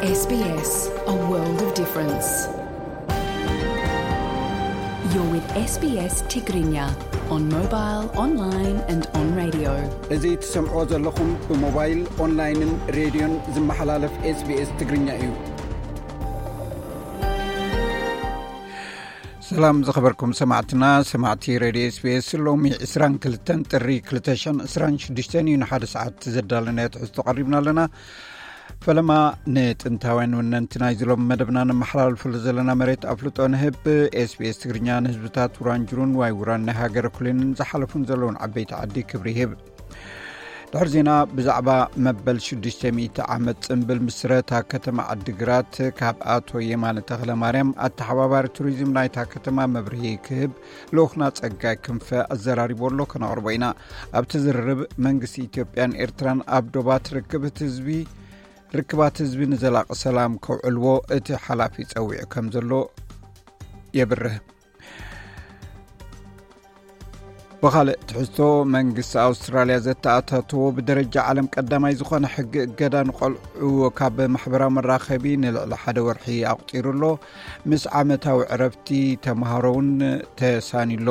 S B S, a world of difference. You're with S B S Tigrinya on mobile, online and on radio. እዚ ትሰምዕዎ ዘለኹም ብሞባይል፣ ኦንላይንን ሬድዮን ዝመሓላለፍ SBS ትግርኛ እዩ። ሰላም ዝኸበርኩም ሰማዕትና፣ ሰማዕቲ ሬድዮ SBS። ሎሚ ዕስራን ክልተን ጥሪ ክልተ ሽሕን ዕስራን ሽዱሽተን እዩ። ንሓደ ሰዓት ዘዳለናዮ ትሕዝቶ ቀሪብና ኣለና። ፈለማ ንጥንታውያን ወነንቲ ናይዚ ሎም መደብና ነመሓላልፈሉ ዘለና መሬት ኣፍልጦ ንህብ። SBS ትግርኛ ንህዝብታት ውራንጅሩን ዋይ ውራን ናይ ሃገረ ኩሊንን ዝሓለፉን ዘለውን ዓበይቲ ዓዲ ክብሪ ይህብ። ድሕሪ ዜና ብዛዕባ መበል ሽዱሽተ ሚእቲ ዓመት ጽምብል ምስረታ ከተማ ዓዲግራት ካብ ኣቶ የማነ ተኽለ ማርያም ኣተሓባባሪ ቱሪዝም ናይታ ከተማ መብርሂ ክህብ ልኡኽና ጸጋይ ክንፈ ኣዘራሪቦ ኣሎ፣ ከነቕርቦ ኢና። ኣብቲ ዝርርብ መንግስቲ ኢትዮጵያን ኤርትራን ኣብ ዶባት ርክብት ህዝቢ ርክባት ህዝቢ ንዘላቂ ሰላም ከውዕልዎ እቲ ሓላፊ ጸዊዑ ከም ዘሎ የብርህ። ብኻልእ ትሕዝቶ መንግስቲ ኣውስትራልያ ዘተኣታተዎ ብደረጃ ዓለም ቀዳማይ ዝኾነ ሕጊ እገዳ ንቆልዑ ካብ ማሕበራዊ መራኸቢ ንልዕሊ ሓደ ወርሒ ኣቑጺሩ ኣሎ። ምስ ዓመታዊ ዕረፍቲ ተምሃሮ እውን ተሳንዩ ኣሎ።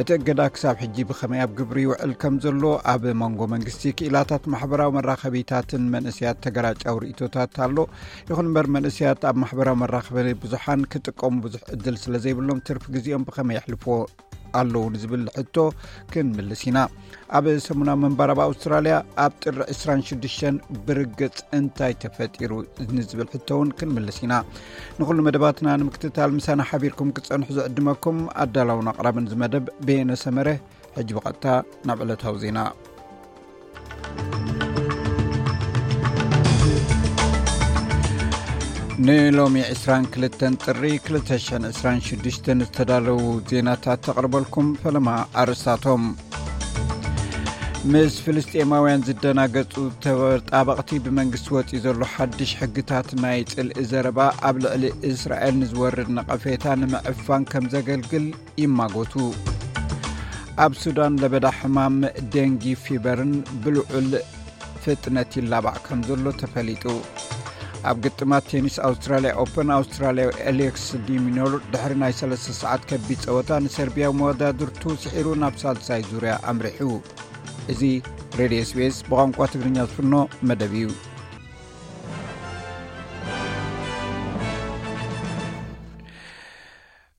እቲ እገዳ ክሳብ ሕጂ ብኸመይ ኣብ ግብሪ ይውዕል ከም ዘሎ ኣብ መንጎ መንግስቲ ክኢላታት ማሕበራዊ መራኸቢታትን መንእሰያት ተገራጫዊ ርእይቶታት ኣሎ። ይኹን እምበር መንእሰያት ኣብ ማሕበራዊ መራኸቢ ብዙሓን ክጥቀሙ ብዙሕ ዕድል ስለ ዘይብሎም ትርፊ ግዜኦም ብኸመይ የሕልፍዎ ኣለዉ ንዝብል ሕቶ ክንምልስ ኢና። ኣብ ሰሙናዊ ምንባር ኣብ ኣውስትራልያ ኣብ ጥሪ ዕስራን ሽዱሽተን ብርግጽ እንታይ ተፈጢሩ ንዝብል ሕቶ እውን ክንምልስ ኢና። ንኹሉ መደባትና ንምክትታል ምሳና ሓቢርኩም ክጸንሑ ዝዕድመኩም ኣዳላውን ኣቕራብን እዚ መደብ በየነ ሰመረ። ሕጂ ብቐጥታ ናብ ዕለታዊ ዜና። ንሎሚ ዕስራን ክልተን ጥሪ ክልተ ሽሕን ዕስራን ሽዱሽተን ዝተዳለዉ ዜናታት ተቕርበልኩም። ፈለማ ኣርእስታቶም። ምስ ፍልስጤማውያን ዝደናገጹ ተጣበቕቲ ብመንግስቲ ወጺኡ ዘሎ ሓድሽ ሕግታት ናይ ጽልኢ ዘረባ ኣብ ልዕሊ እስራኤል ንዝወርድ ነቐፌታ ንምዕፋን ከም ዘገልግል ይማጎቱ። ኣብ ሱዳን ለበዳ ሕማም ደንጊ ፊበርን ብልዑል ፍጥነት ይላባዕ ከም ዘሎ ተፈሊጡ። ኣብ ግጥማት ቴኒስ ኣውስትራልያ ኦፐን ኣውስትራልያዊ ኤሌክስ ዲሚኖር ድሕሪ ናይ ሰለስተ ሰዓት ከቢድ ጸወታ ንሰርቢያዊ መወዳድርቱ ስዒሩ ናብ ሳልሳይ ዙርያ ኣምሪሑ። እዚ ሬድዮ SBS ብቋንቋ ትግርኛ ዝፍኖ መደብ እዩ።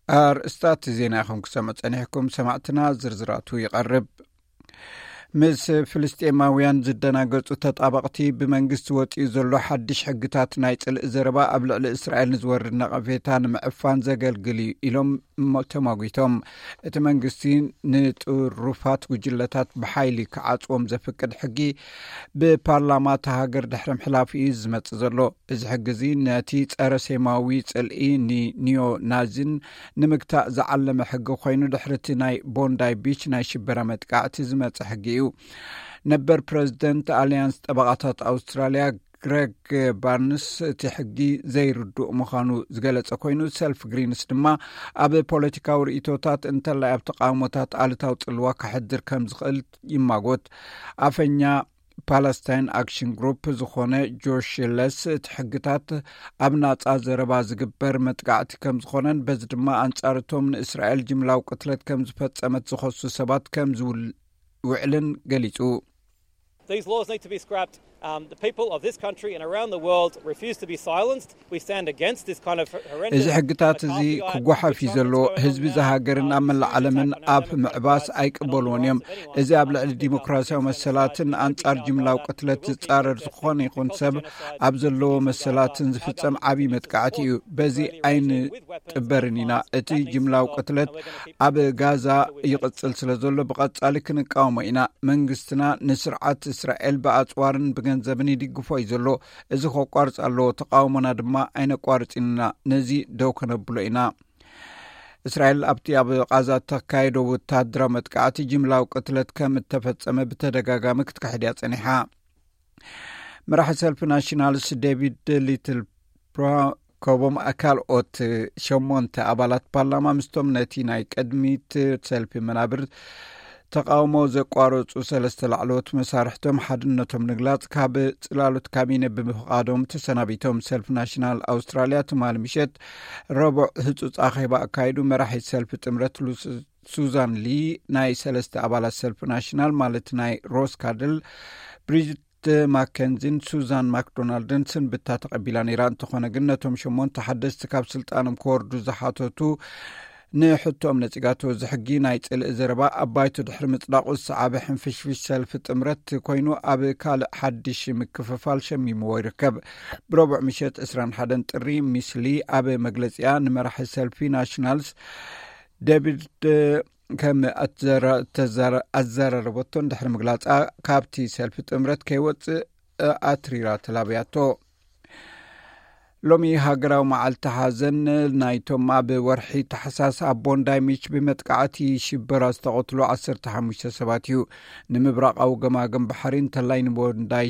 ኣርእስታት ዜና ኢኹም ክሰምዑ ጸኒሕኩም ሰማዕትና፣ ዝርዝራቱ ይቐርብ። ምስ ፍልስጤማውያን ዝደናገጹ ተጣበቕቲ ብመንግስቲ ወጺኡ ዘሎ ሓድሽ ሕግታት ናይ ጽልኢ ዘረባ ኣብ ልዕሊ እስራኤል ንዝወርድ ነቐፌታ ንምዕፋን ዘገልግል እዩ ኢሎም እሞ ተማጒቶም። እቲ መንግስቲ ንጥሩፋት ጉጅለታት ብሓይሊ ክዓጽዎም ዘፍቅድ ሕጊ ብፓርላማ እታ ሃገር ድሕሪ ምሕላፉ እዩ ዝመጽእ ዘሎ። እዚ ሕጊ እዚ ነቲ ጸረ ሴማዊ ጽልኢ ንኒዮ ናዚን ንምግታእ ዝዓለመ ሕጊ ኮይኑ ድሕሪ እቲ ናይ ቦንዳይ ቢች ናይ ሽበራ መጥቃዕቲ ዝመጸ ሕጊ እዩ። ነበር ፕረዚደንት ኣልያንስ ጠበቓታት ኣውስትራልያ ግረግ ባርንስ እቲ ሕጊ ዘይርዱእ ምዃኑ ዝገለጸ ኮይኑ፣ ሰልፍ ግሪንስ ድማ ኣብ ፖለቲካዊ ርእይቶታት እንተላይ ኣብ ተቃውሞታት ኣሉታዊ ጽልዋ ከሕድር ከም ዝኽእል ይማጎት። ኣፈኛ ፓለስታይን ኣክሽን ግሩፕ ዝኾነ ጆሽ ለስ እቲ ሕግታት ኣብ ናጻ ዘረባ ዝግበር መጥቃዕቲ ከም ዝኾነን በዚ ድማ ኣንጻር እቶም ንእስራኤል ጅምላዊ ቅትለት ከም ዝፈጸመት ዝኸሱ ሰባት ከም ዝውል- ውዕልን ገሊጹ። These laws need to be scrapped. Um, the people of this country and around the world refuse to be silenced. We stand against this kind of horrendous እዚ ሕግታት እዚ ክጓሓፍ እዩ ዘሎ። ህዝቢ እዚ ሃገርን ኣብ መላእ ዓለምን ኣብ ምዕባስ ኣይቅበልዎን እዮም። እዚ ኣብ ልዕሊ ዲሞክራሲያዊ መሰላትን ኣንጻር ጅምላዊ ቅትለት ዝጻረር ዝኾነ ይኹን ሰብ ኣብ ዘለዎ መሰላትን ዝፍጸም ዓብዪ መጥቃዕቲ እዩ። በዚ ኣይንጥበርን ኢና። እቲ ጅምላዊ ቅትለት ኣብ ጋዛ ይቕጽል ስለ ዘሎ ብቐጻሊ ክንቃወሞ ኢና። መንግስትና ንስርዓት እስራኤል ብኣጽዋርን ብገንዘብን ይድግፎ እዩ ዘሎ። እዚ ከቋርጽ ኣለዎ። ተቃውሞና ድማ ኣይነቋርጽን ኢና። ነዚ ደው ከነብሎ ኢና። እስራኤል ኣብቲ ኣብ ቃዛ እተካየዶ ወታደራዊ መጥቃዕቲ ጅምላዊ ቅትለት ከም እተፈጸመ ብተደጋጋሚ ክትክሕድ እያ ጸኒሓ። መራሒ ሰልፊ ናሽናልስ ዴቪድ ሊትል ፕሮ- ከምኡም ካልኦት ሸሞንተ ኣባላት ፓርላማ ምስቶም ነቲ ናይ ቅድሚት ሰልፊ መናብር ተቃውሞ ዘቋረጹ ሰለስተ ላዕለዎት መሳርሕቶም ሓድነቶም ንግላጽ ካብ ጽላሎት ካቢነ ብምፍቓዶም ተሰናቢቶም። ሰልፊ ናሽናል ኣውስትራልያ ትማሊ ምሸት ረቡዕ ህጹጽ ኣኼባ ኣካይዱ። መራሒት ሰልፊ ጥምረት ሉስ-፣ ሱዛን ሊ ናይ ሰለስተ ኣባላት ሰልፊ ናሽናል ማለት ናይ ሮስ ካድል፣ ብሪጅት ማከንዚን ሱዛን ማክዶናልድን ስንብታ ተቐቢላ ነይራ። እንተኾነ ግን ነቶም ሸሞንተ ሓደስቲ ካብ ስልጣኖም ክወርዱ ዝሓተቱ ንሕቶም ነጺጋቶ። እዚ ሕጊ ናይ ጽልኢ ዘረባ ኣብ ባይቶ ድሕሪ ምጽዳቑ ዝሰዓበ ሕንፍሽፍሽ ሰልፊ ጥምረት ኮይኑ ኣብ ካልእ ሓድሽ ምክፍፋል ሸሚምዎ ይርከብ። ብረቡዕ ምሸት ዕስራን ሓደን ጥሪ ሚስሊ ኣብ መግለጺኣ ንመራሒ ሰልፊ ናሽናልስ ዴቪድ ከም ኣትዘራ-፣ ተዛራ-፣ ኣዘራረበቶ እንድሕሪ ምግላጻ ካብቲ ሰልፊ ጥምረት ከይወጽእ ኣትሪራ ተላብያቶ። ሎሚ ሃገራዊ መዓልቲ ሓዘን ናይቶም ኣብ ወርሒ ታሕሳስ ኣብ ቦንዳይ ሚች ብመጥቃዕቲ ሽበራ ዝተቐትሉ ዓሰርተ ሓሙሽተ ሰባት እዩ። ንምብራቓዊ ገማግም ባሕሪ እንተላይ ንቦንዳይ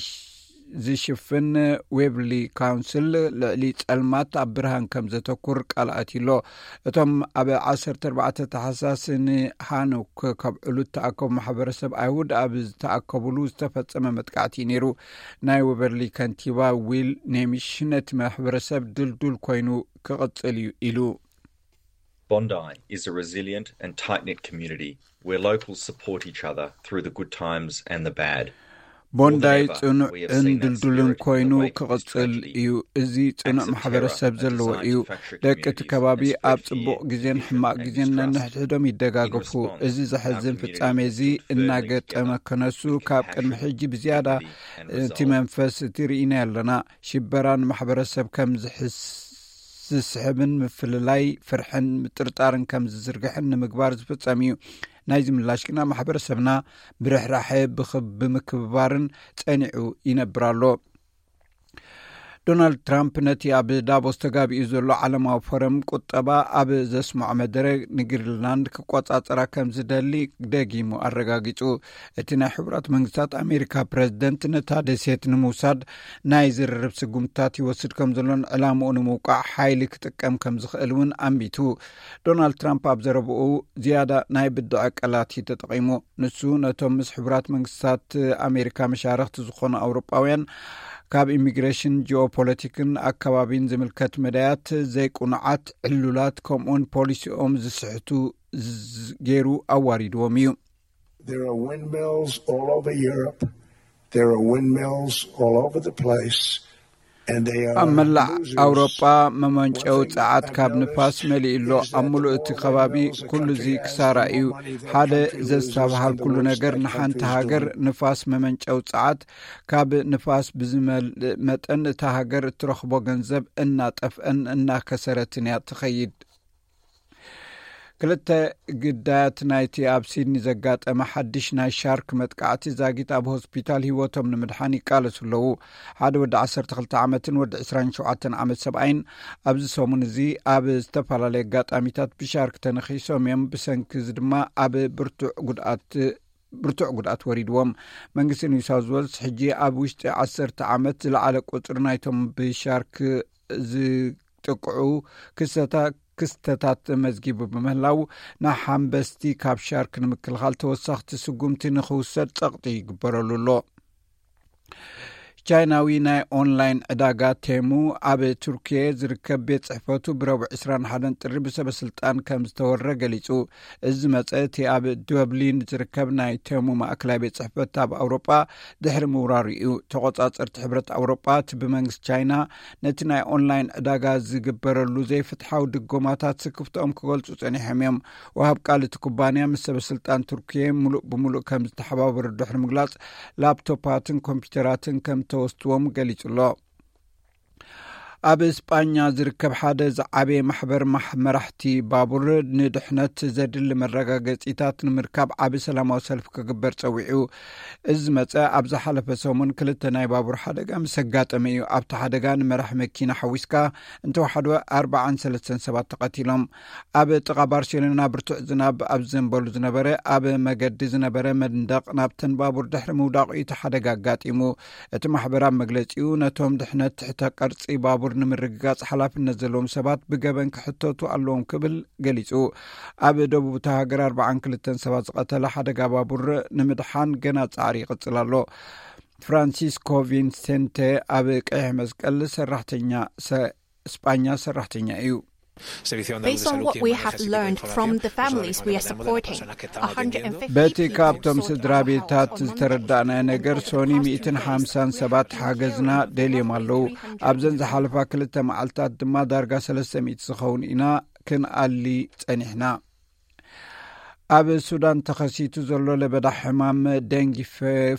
ዝሽፍን ዌብሊ ካውንስል ልዕሊ ጸልማት ኣብ ብርሃን ከም ዘተኩር ቃል ኣትዩሎ። እቶም ኣብ ዓሰርተ ኣርባዕተ ታሕሳስ ንሃኑክ ከብዕሉ ዝተኣከቡ ማሕበረሰብ ኣይሁድ ኣብ ዝተኣከቡሉ ዝተፈጸመ መጥቃዕቲ እዩ ነይሩ። ናይ ዌበርሊ ከንቲባ ዊል ኔሚሽ ነቲ ማሕበረሰብ ድልዱል ኮይኑ ክቕጽል እዩ ኢሉ። Bondi is a resilient and tight-knit community where locals support each other through the good times and the bad. ቦንዳይ ጽኑዕን ድልዱልን ኮይኑ ክቕጽል እዩ። እዚ ጽኑዕ ማሕበረሰብ ዘለዎ እዩ። ደቂ እቲ ከባቢ ኣብ ጽቡቕ ግዜን ሕማቕ ግዜን ነንሕድሕዶም ይደጋገፉ። እዚ ዘሕዝን ፍጻሜ እዚ እናገጠመ ከነሱ ካብ ቅድሚ ሕጂ ብዝያዳ እቲ መንፈስ እቲ ርኢና ኣለና። ሽበራ ንማሕበረሰብ ከም ዝሕስ-፣ ዝስሕብን ምፍልላይ ፍርሕን ምጥርጣርን ከም ዝዝርግሕን ንምግባር ዝፍጸም እዩ። ናይዚ ምላሽ ግና ማሕበረሰብና ብርሕራሐ ብኽ-፣ ብምክብባርን ጸኒዑ ይነብር ኣሎ። ዶናልድ ትራምፕ ነቲ ኣብ ዳቮስ ተጋቢኡ ዘሎ ዓለማዊ ፎረም ቁጠባ ኣብ ዘስምዖ መደረ ንግሪንላንድ ክቆጻጸራ ከም ዝደሊ ደጊሙ ኣረጋጊጹ። እቲ ናይ ሕቡራት መንግስታት ኣሜሪካ ፕረዚደንት ነታ ደሴት ንምውሳድ ናይ ዝርርብ ስጉምትታት ይወስድ ከም ዘሎን ዕላምኡ ንምውቃዕ ሓይሊ ክጥቀም ከም ዝኽእል እውን ኣንቢቱ። ዶናልድ ትራምፕ ኣብ ዘረብኡ ዝያዳ ናይ ብድዐ ቃላት እዩ ተጠቒሙ። ንሱ ነቶም ምስ ሕቡራት መንግስታት ኣሜሪካ መሻርኽቲ ዝኾኑ ኣውሮጳውያን ካብ ኢሚግሬሽን፣ ጂኦፖለቲክን ኣከባቢን ዝምልከት መዳያት ዘይቁኑዓት ዕሉላት ከምኡውን ፖሊሲኦም ዝስሕቱ ዝ-፣ ገይሩ ኣዋሪድዎም እዩ። There are windmills all over Europe. There are windmills all over the place. And they are ኣብ መላእ losers. ኣውሮጳ መመንጨዊ ጸዓት ካብ ንፋስ መሊኡ ኣሎ። ኣብ ምሉእ እቲ ከባቢ ኩሉ እዚ ክሳራ እዩ። ሓደ ዘስተብሃል ኩሉ ነገር ንሓንቲ ሃገር ንፋስ መመንጨዊ ጸዓት ካብ ንፋስ ብዝመልእ መጠን እታ ሃገር እትረኽቦ ገንዘብ እናጠፍአን እናከሰረትን እያ ትኸይድ። ክልተ ግዳያት ናይቲ ኣብ ሲድኒ ዘጋጠመ ሓድሽ ናይ ሻርክ መጥቃዕቲ ዛጊት ኣብ ሆስፒታል ህይወቶም ንምድሓን ይቃለሱ ኣለዉ። ሓደ ወዲ ዓሰርተ ክልተ ዓመትን ወዲ ዕስራን ሸውዓተን ዓመት ሰብኣይን ኣብዚ ሰሙን እዚ ኣብ ዝተፈላለዩ ኣጋጣሚታት ብሻርክ ተነኺሶም እዮም። ብሰንኪ እዚ ድማ ኣብ ብርቱዕ ጉድኣት ብርቱዕ ጉድኣት ወሪድዎም። መንግስቲ ኒው ሳውዝ ዌልስ ሕጂ ኣብ ውሽጢ ዓሰርተ ዓመት ዝለዓለ ቁፅሪ ናይቶም ብሻርክ ዝጥቅዑ ክስተታ-፣ ክስተታት መዝጊቡ ብምህላው ንሓንበስቲ ካብ ሻርክ ንምክልኻል ተወሳኽቲ ስጉምቲ ንኽውሰድ ጸቕጢ ይግበረሉ ኣሎ። ቻይናዊ ናይ ኦንላይን ዕዳጋ ቴሙ ኣብ ቱርኪየ ዝርከብ ቤት ጽሕፈቱ ብረቡዕ ዕስራን ሓደን ጥሪ ብሰበ ስልጣን ከም ዝተወረ ገሊጹ። እዚ መጸ እቲ ኣብ ዱብሊን ዝርከብ ናይ ቴሙ ማእከላይ ቤት ጽሕፈት ኣብ ኣውሮጳ ድሕሪ ምውራሩ እዩ። ተቆጻጸርቲ ሕብረት ኣውሮጳ እቲ ብመንግስቲ ቻይና ነቲ ናይ ኦንላይን ዕዳጋ ዝግበረሉ ዘይፍትሓዊ ድጎማታት ስክፍትኦም ክገልጹ ጸኒሖም እዮም። ወሃብ ቃል እቲ ኩባንያ ምስ ሰበ ስልጣን ቱርኪየ ምሉእ ብምሉእ ከም ዝተሓባበሩ ድሕሪ ምግላጽ ላፕቶፓትን ኮምፒውተራትን ከም ተወስድዎም ገሊጹ ኣሎ። ኣብ ስጳኛ ዝርከብ ሓደ ዝዓበየ ማሕበር ማሕ-፣ መራሕቲ ባቡር ንድሕነት ዘድሊ መረጋገጺታት ንምርካብ ዓቢ ሰላማዊ ሰልፊ ክግበር ጸዊዑ። እዚ መጸ ኣብ ዝሓለፈ ሰሙን ክልተ ናይ ባቡር ሓደጋ ምስ ኣጋጠመ እዩ። ኣብቲ ሓደጋ ንመራሕ መኪና ሓዊስካ እንተወሓደ ኣርባዓን ሰለስተን ሰባት ተቐቲሎም። ኣብ ጥቓ ባርሴሎና ብርቱዕ ዝናብ ኣብ ዘንበሉ ዝነበረ ኣብ መገዲ ዝነበረ መንደቕ ናብተን ባቡር ድሕሪ ምውዳቑ እዩ እቲ ሓደጋ ኣጋጢሙ። እቲ ማሕበር ኣብ መግለጺኡ ነቶም ድሕነት ትሕተ ቅርጺ ባቡር ንምርግጋጽ ሓላፍነት ዘለዎም ሰባት ብገበን ክሕተቱ ኣለዎም ክብል ገሊጹ። ኣብ ደቡብ እታ ሃገር ኣርባዓን ክልተን ሰባት ዝቐተለ ሓደጋ ባቡር ንምድሓን ገና ጻዕሪ ይቕጽል ኣሎ። ፍራንሲስኮ ቪንሴንቴ ኣብ ቀይሕ መስቀል ሰራሕተኛ ሰ-፣ ስጳኛ ሰራሕተኛ እዩ። Based on what we have learned from the families we are supporting, በቲ ካብቶም ስድራ ቤታት ዝተረዳእናዮ ነገር፣ ሶኒ ሚእትን ሓምሳን ሰባት ሓገዝና ደልዮም ኣለዉ። ኣብዘን ዝሓለፋ ክልተ መዓልታት ድማ ዳርጋ ሰለስተ ሚእቲ ዝኸውን ኢና ክንኣሊ ጸኒሕና። ኣብ ሱዳን ተኸሲቱ ዘሎ ለበዳ ሕማም ደንጊ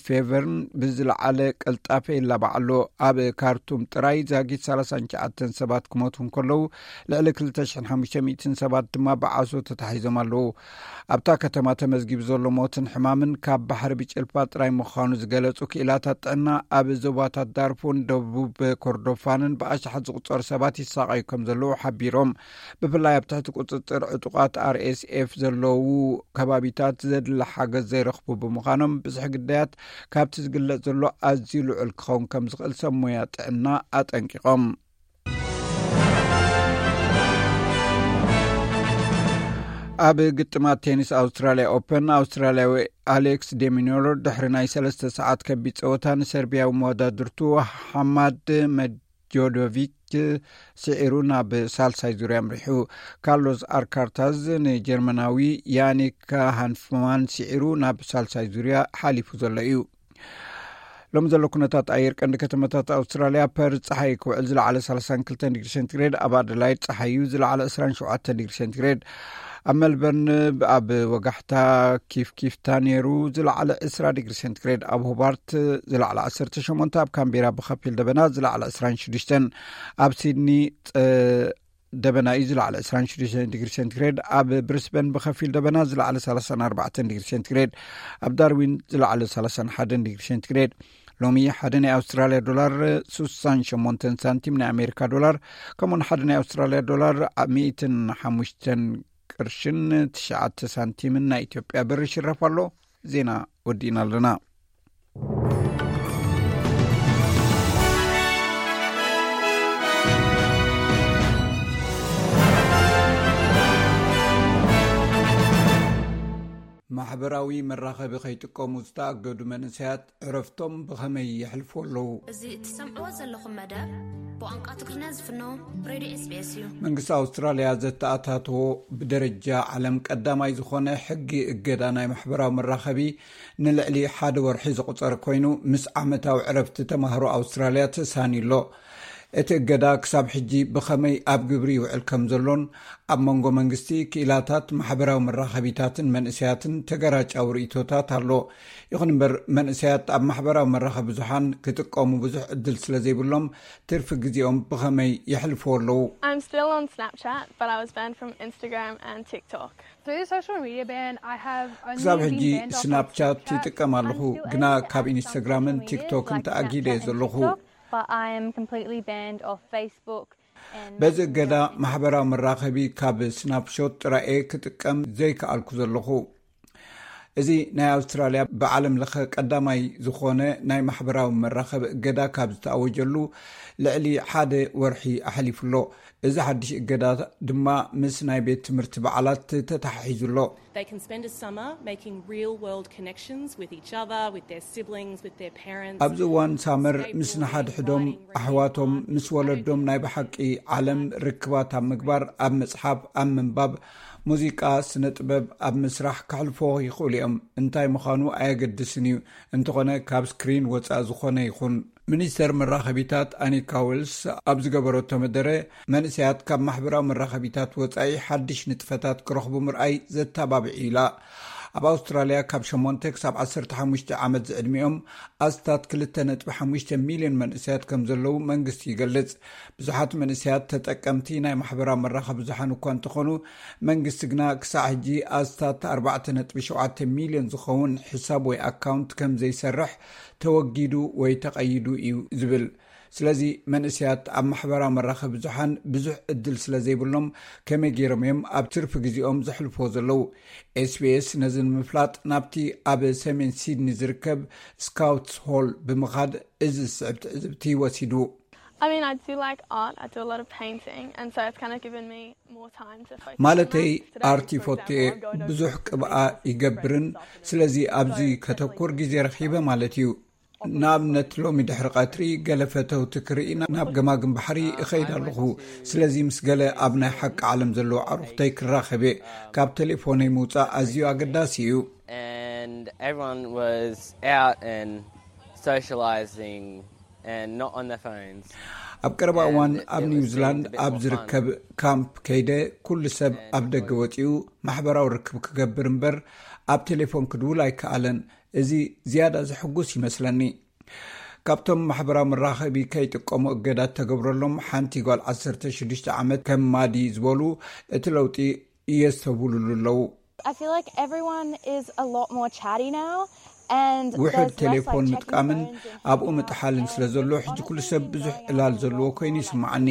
ፌቨርን ብዝለዓለ ቅልጣፈ ይላባዕ ኣሎ። ኣብ ካርቱም ጥራይ ዛጊት ሰላሳን ትሽዓተን ሰባት ክሞቱ እንከለዉ፣ ልዕሊ ክልተ ሽሕን ሓሙሽተ ሚእትን ሰባት ድማ ብዓሶ ተታሒዞም ኣለዉ። ኣብታ ከተማ ተመዝጊቡ ዘሎ ሞትን ሕማምን ካብ ባሕሪ ብጭልፋ ጥራይ ምዃኑ ዝገለጹ ክኢላታት ጥዕና፣ ኣብ ዞባታት ዳርፉን ደቡብ ኮርዶፋንን ብኣሽሓት ዝቑጸሩ ሰባት ይሳቐዩ ከም ዘለዉ ሓቢሮም። ብፍላይ ኣብ ትሕቲ ቁጽጽር ዕጡቓት ኣር ኤስ ኤፍ ዘለዉ ከባቢታት ዘድሊ ሓገዝ ዘይረኽቡ ብምዃኖም፣ ብዝሒ ግዳያት ካብቲ ዝግለጽ ዘሎ ኣዝዩ ልዑል ክኸውን ከም ዝኽእል ሰብ ሞያ ጥዕና ኣጠንቂቖም። ኣብ ግጥማት ቴኒስ ኣውስትራልያ ኦፐን፣ ኣውስትራልያዊ ኣሌክስ ዴሚኖር ድሕሪ ናይ ሰለስተ ሰዓት ከቢድ ጸወታ ንሰርቢያዊ መወዳድርቱ ሓማድ ጆዶቪች ስዒሩ ናብ ሳልሳይ ዙርያ ኣምሪሑ። ካርሎስ ኣርካርታዝ ንጀርመናዊ ያኒክ ሃንፍማን ስዒሩ ናብ ሳልሳይ ዙርያ ሓሊፉ ዘሎ እዩ። ሎም ዘሎ ኩነታት ኣየር፣ ቀንዲ ከተማታት ኣውስትራልያ፣ ፐርዝ ጸሓይ ክውዕል ዝለዓለ ሰላሳን ክልተን ዲግሪ ሴንቲግሬድ፣ ኣብ ኣደላይድ ጸሓዩ ዝለዓለ ዕስራን ሸውዓተን ዲግሪ ሴንቲግሬድ፣ ኣብ ሜልበርን ኣብ ወጋሕታ ኪፍ ኪፍታ ነይሩ ዝለዓለ ዕስራ ዲግሪ ሴንቲግሬድ፣ ኣብ ሆባርት ዝለዓለ ዓሰርተ ሸሞንተ፣ ኣብ ካምቤራ ብኸፊል ደበና ዝለዓለ ዕስራን ሽዱሽተን፣ ኣብ ሲድኒ ደበና እዩ ዝለዓለ ዕስራን ሽዱሽተን ዲግሪ ሴንቲግሬድ፣ ኣብ ብሪስበን ብኸፊል ደበና ዝለዓለ ሰላሳን ኣርባዕተን ዲግሪ ሴንቲግሬድ፣ ኣብ ዳርዊን ዝለዓለ ሰላሳን ሓደን ዲግሪ ሴንቲግሬድ። ሎሚ ሓደ ናይ ኣውስትራልያ ዶላር ስሳን ሸሞንተን ሳንቲም፣ ናይ ኣሜሪካ ዶላር ከምኡን ሓደ ናይ ኣውስትራልያ ዶላር ሚእትን ሓሙሽተን ቅርሽን ትሽዓተ ሳንቲምን ናይ ኢትዮጵያ ብር ይሽረፍ ኣሎ። ዜና ወዲእና ኣለና። ማሕበራዊ መራኸቢ ከይጥቀሙ ዝተኣገዱ መንእሰያት ዕረፍቶም ብኸመይ የሕልፉ ኣለዉ? እዚ እትሰምዕዎ ዘለኹም መደብ ብቋንቋ ትግርኛ ዝፍኖ ሬድዮ ኤስቢኤስ እዩ። መንግስቲ ኣውስትራልያ ዘተኣታተዎ ብደረጃ ዓለም ቀዳማይ ዝኾነ ሕጊ እገዳ ናይ ማሕበራዊ መራኸቢ ንልዕሊ ሓደ ወርሒ ዘቑጸረ ኮይኑ፣ ምስ ዓመታዊ ዕረፍቲ ተማሃሮ ኣውስትራልያ ተሳንዩ ኣሎ። እቲ እገዳ ክሳብ ሕጂ ብኸመይ ኣብ ግብሪ ይውዕል ከም ዘሎን፣ ኣብ መንጎ መንግስቲ፣ ክኢላታት፣ ማሕበራዊ መራኸቢታትን መንእሰያትን ተገራጫዊ ርእይቶታት ኣሎ። ይኹን እምበር፣ መንእሰያት ኣብ ማሕበራዊ መራኸቢ ብዙሓን ክጥቀሙ ብዙሕ ዕድል ስለ ዘይብሎም፣ ትርፊ ግዜኦም ብኸመይ የሕልፍዎ ኣለዉ? I'm still on Snapchat, but I was banned from Instagram and TikTok. Through the social media ban, I have only ክሳብ been ሕጂ banned off of ስናፕቻት Snapchat ይጥቀም ኣለኹ፣ until ግና a ካብ ኢንስታግራምን ቲክቶክን ተኣጊደ ዘለኹ። But I am completely banned off Facebook and በዚ እገዳ ማሕበራዊ መራኸቢ ካብ ስናፕሾት ጥራኤ ክጥቀም ዘይከኣልኩ ዘለኹ። እዚ ናይ ኣውስትራልያ ብዓለም ለኸ ቀዳማይ ዝኾነ ናይ ማሕበራዊ መራኸቢ እገዳ ካብ ዝተኣወጀሉ ልዕሊ ሓደ ወርሒ ኣሕሊፉ ኣሎ። እዚ ሓድሽ እገዳ ድማ ምስ ናይ ቤት ትምህርቲ በዓላት ተተሓሒዙ ኣሎ። They can spend a summer making real world connections with each other, with their siblings, with their parents. ኣብዚ እዋን ሳመር ምስ ንሓድሕዶም ኣሕዋቶም፣ ምስ ወለዶም ናይ ብሓቂ ዓለም ርክባት ኣብ ምግባር፣ ኣብ ምጽሓፍ፣ ኣብ ምንባብ፣ ሙዚቃ፣ ስነ ጥበብ፣ ኣብ ምስራሕ ከሕልፎ ይኽእሉ እዮም። እንታይ ምዃኑ ኣየገድስን እዩ። እንተኾነ ካብ ስክሪን ወጻኢ ዝኾነ ይኹን። ሚኒስተር መራኸቢታት ኣኒካ ዌልስ ኣብ ዝገበረቶ መደረ፣ መንእሰያት ካብ ማሕበራዊ መራኸቢታት ወጻኢ ሓድሽ ንጥፈታት ክረኽቡ ምርኣይ ዘተባብዕ ኢላ። ኣብ ኣውስትራልያ ካብ ሸሞንተ ክሳብ ዓሰርተ ሓሙሽተ ዓመት ዝዕድሚኦም ኣስታት ክልተ ነጥቢ ሓሙሽተ ሚልዮን መንእሰያት ከም ዘለዉ መንግስቲ ይገልጽ። ብዙሓት መንእሰያት ተጠቀምቲ ናይ ማሕበራዊ መራኸቢ ብዙሓን እኳ እንተኾኑ፣ መንግስቲ ግና ክሳዕ ሕጂ ኣስታት ኣርባዕተ ነጥቢ ሸውዓተ ሚልዮን ዝኸውን ሕሳብ ወይ ኣካውንት ከም ዘይሰርሕ ተወጊዱ ወይ ተቐይዱ እዩ ዝብል። ስለዚ መንእሰያት ኣብ ማሕበራዊ መራኸቢ ብዙሓን ብዙሕ ዕድል ስለ ዘይብሎም፣ ከመይ ገይሮም እዮም ኣብ ትርፊ ግዜኦም ዘሕልፍዎ ዘለዉ? ኤስቢኤስ ነዚ ንምፍላጥ ናብቲ ኣብ ሰሜን ሲድኒ ዝርከብ ስካውትስ ሆል ብምኻድ እዚ ዝስዕብ ትዕዝብቲ ወሲዱ። I mean, I do like art. I do a lot of painting, and so it's kind of given me more time to focus. ማለተይ፣ ኣርት ይፈቱ እየ። ብዙሕ ቅብኣ ይገብርን፣ ስለዚ ኣብዚ ከተኩር ግዜ ረኺበ ማለት እዩ። ንኣብነት፣ ሎሚ ድሕሪ ቀትሪ ገለ ፈተውቲ ክርኢ ናብ ገማግም ባሕሪ እኸይድ ኣለኹ። ስለዚ ምስ ገለ ኣብ ናይ ሓቂ ዓለም ዘለዉ ኣዕሩኽተይ ክራኸብ እየ። ካብ ቴሌፎነይ ምውጻእ ኣዝዩ ኣገዳሲ እዩ። And everyone was out and socializing and not on their phones. ኣብ ቀረባ እዋን ኣብ ኒውዚላንድ ኣብ ዝርከብ ካምፕ ከይደ፣ ኩሉ ሰብ ኣብ ደገ ወጺኡ ማሕበራዊ ርክብ ክገብር እምበር ኣብ ቴሌፎን ክድውል ኣይከኣለን። እዚ ዝያዳ ዘሕጉስ ይመስለኒ። ካብቶም ማሕበራዊ መራኸቢ ከይጥቀሙ እገዳ ተገብረሎም ሓንቲ ጓል ዓሰርተ ሽዱሽተ ዓመት ከም ማዲ ዝበሉ፣ እቲ ለውጢ የስተብህሉሉ ኣለዉ። I feel like everyone is a lot more chatty now. And ውሕድ ቴሌፎን ምጥቃምን ኣብኡ ምጥሓልን ስለ ዘሎ፣ ሕጂ ኩሉ ሰብ ብዙሕ ዕላል ዘለዎ ኮይኑ ይስምዓኒ።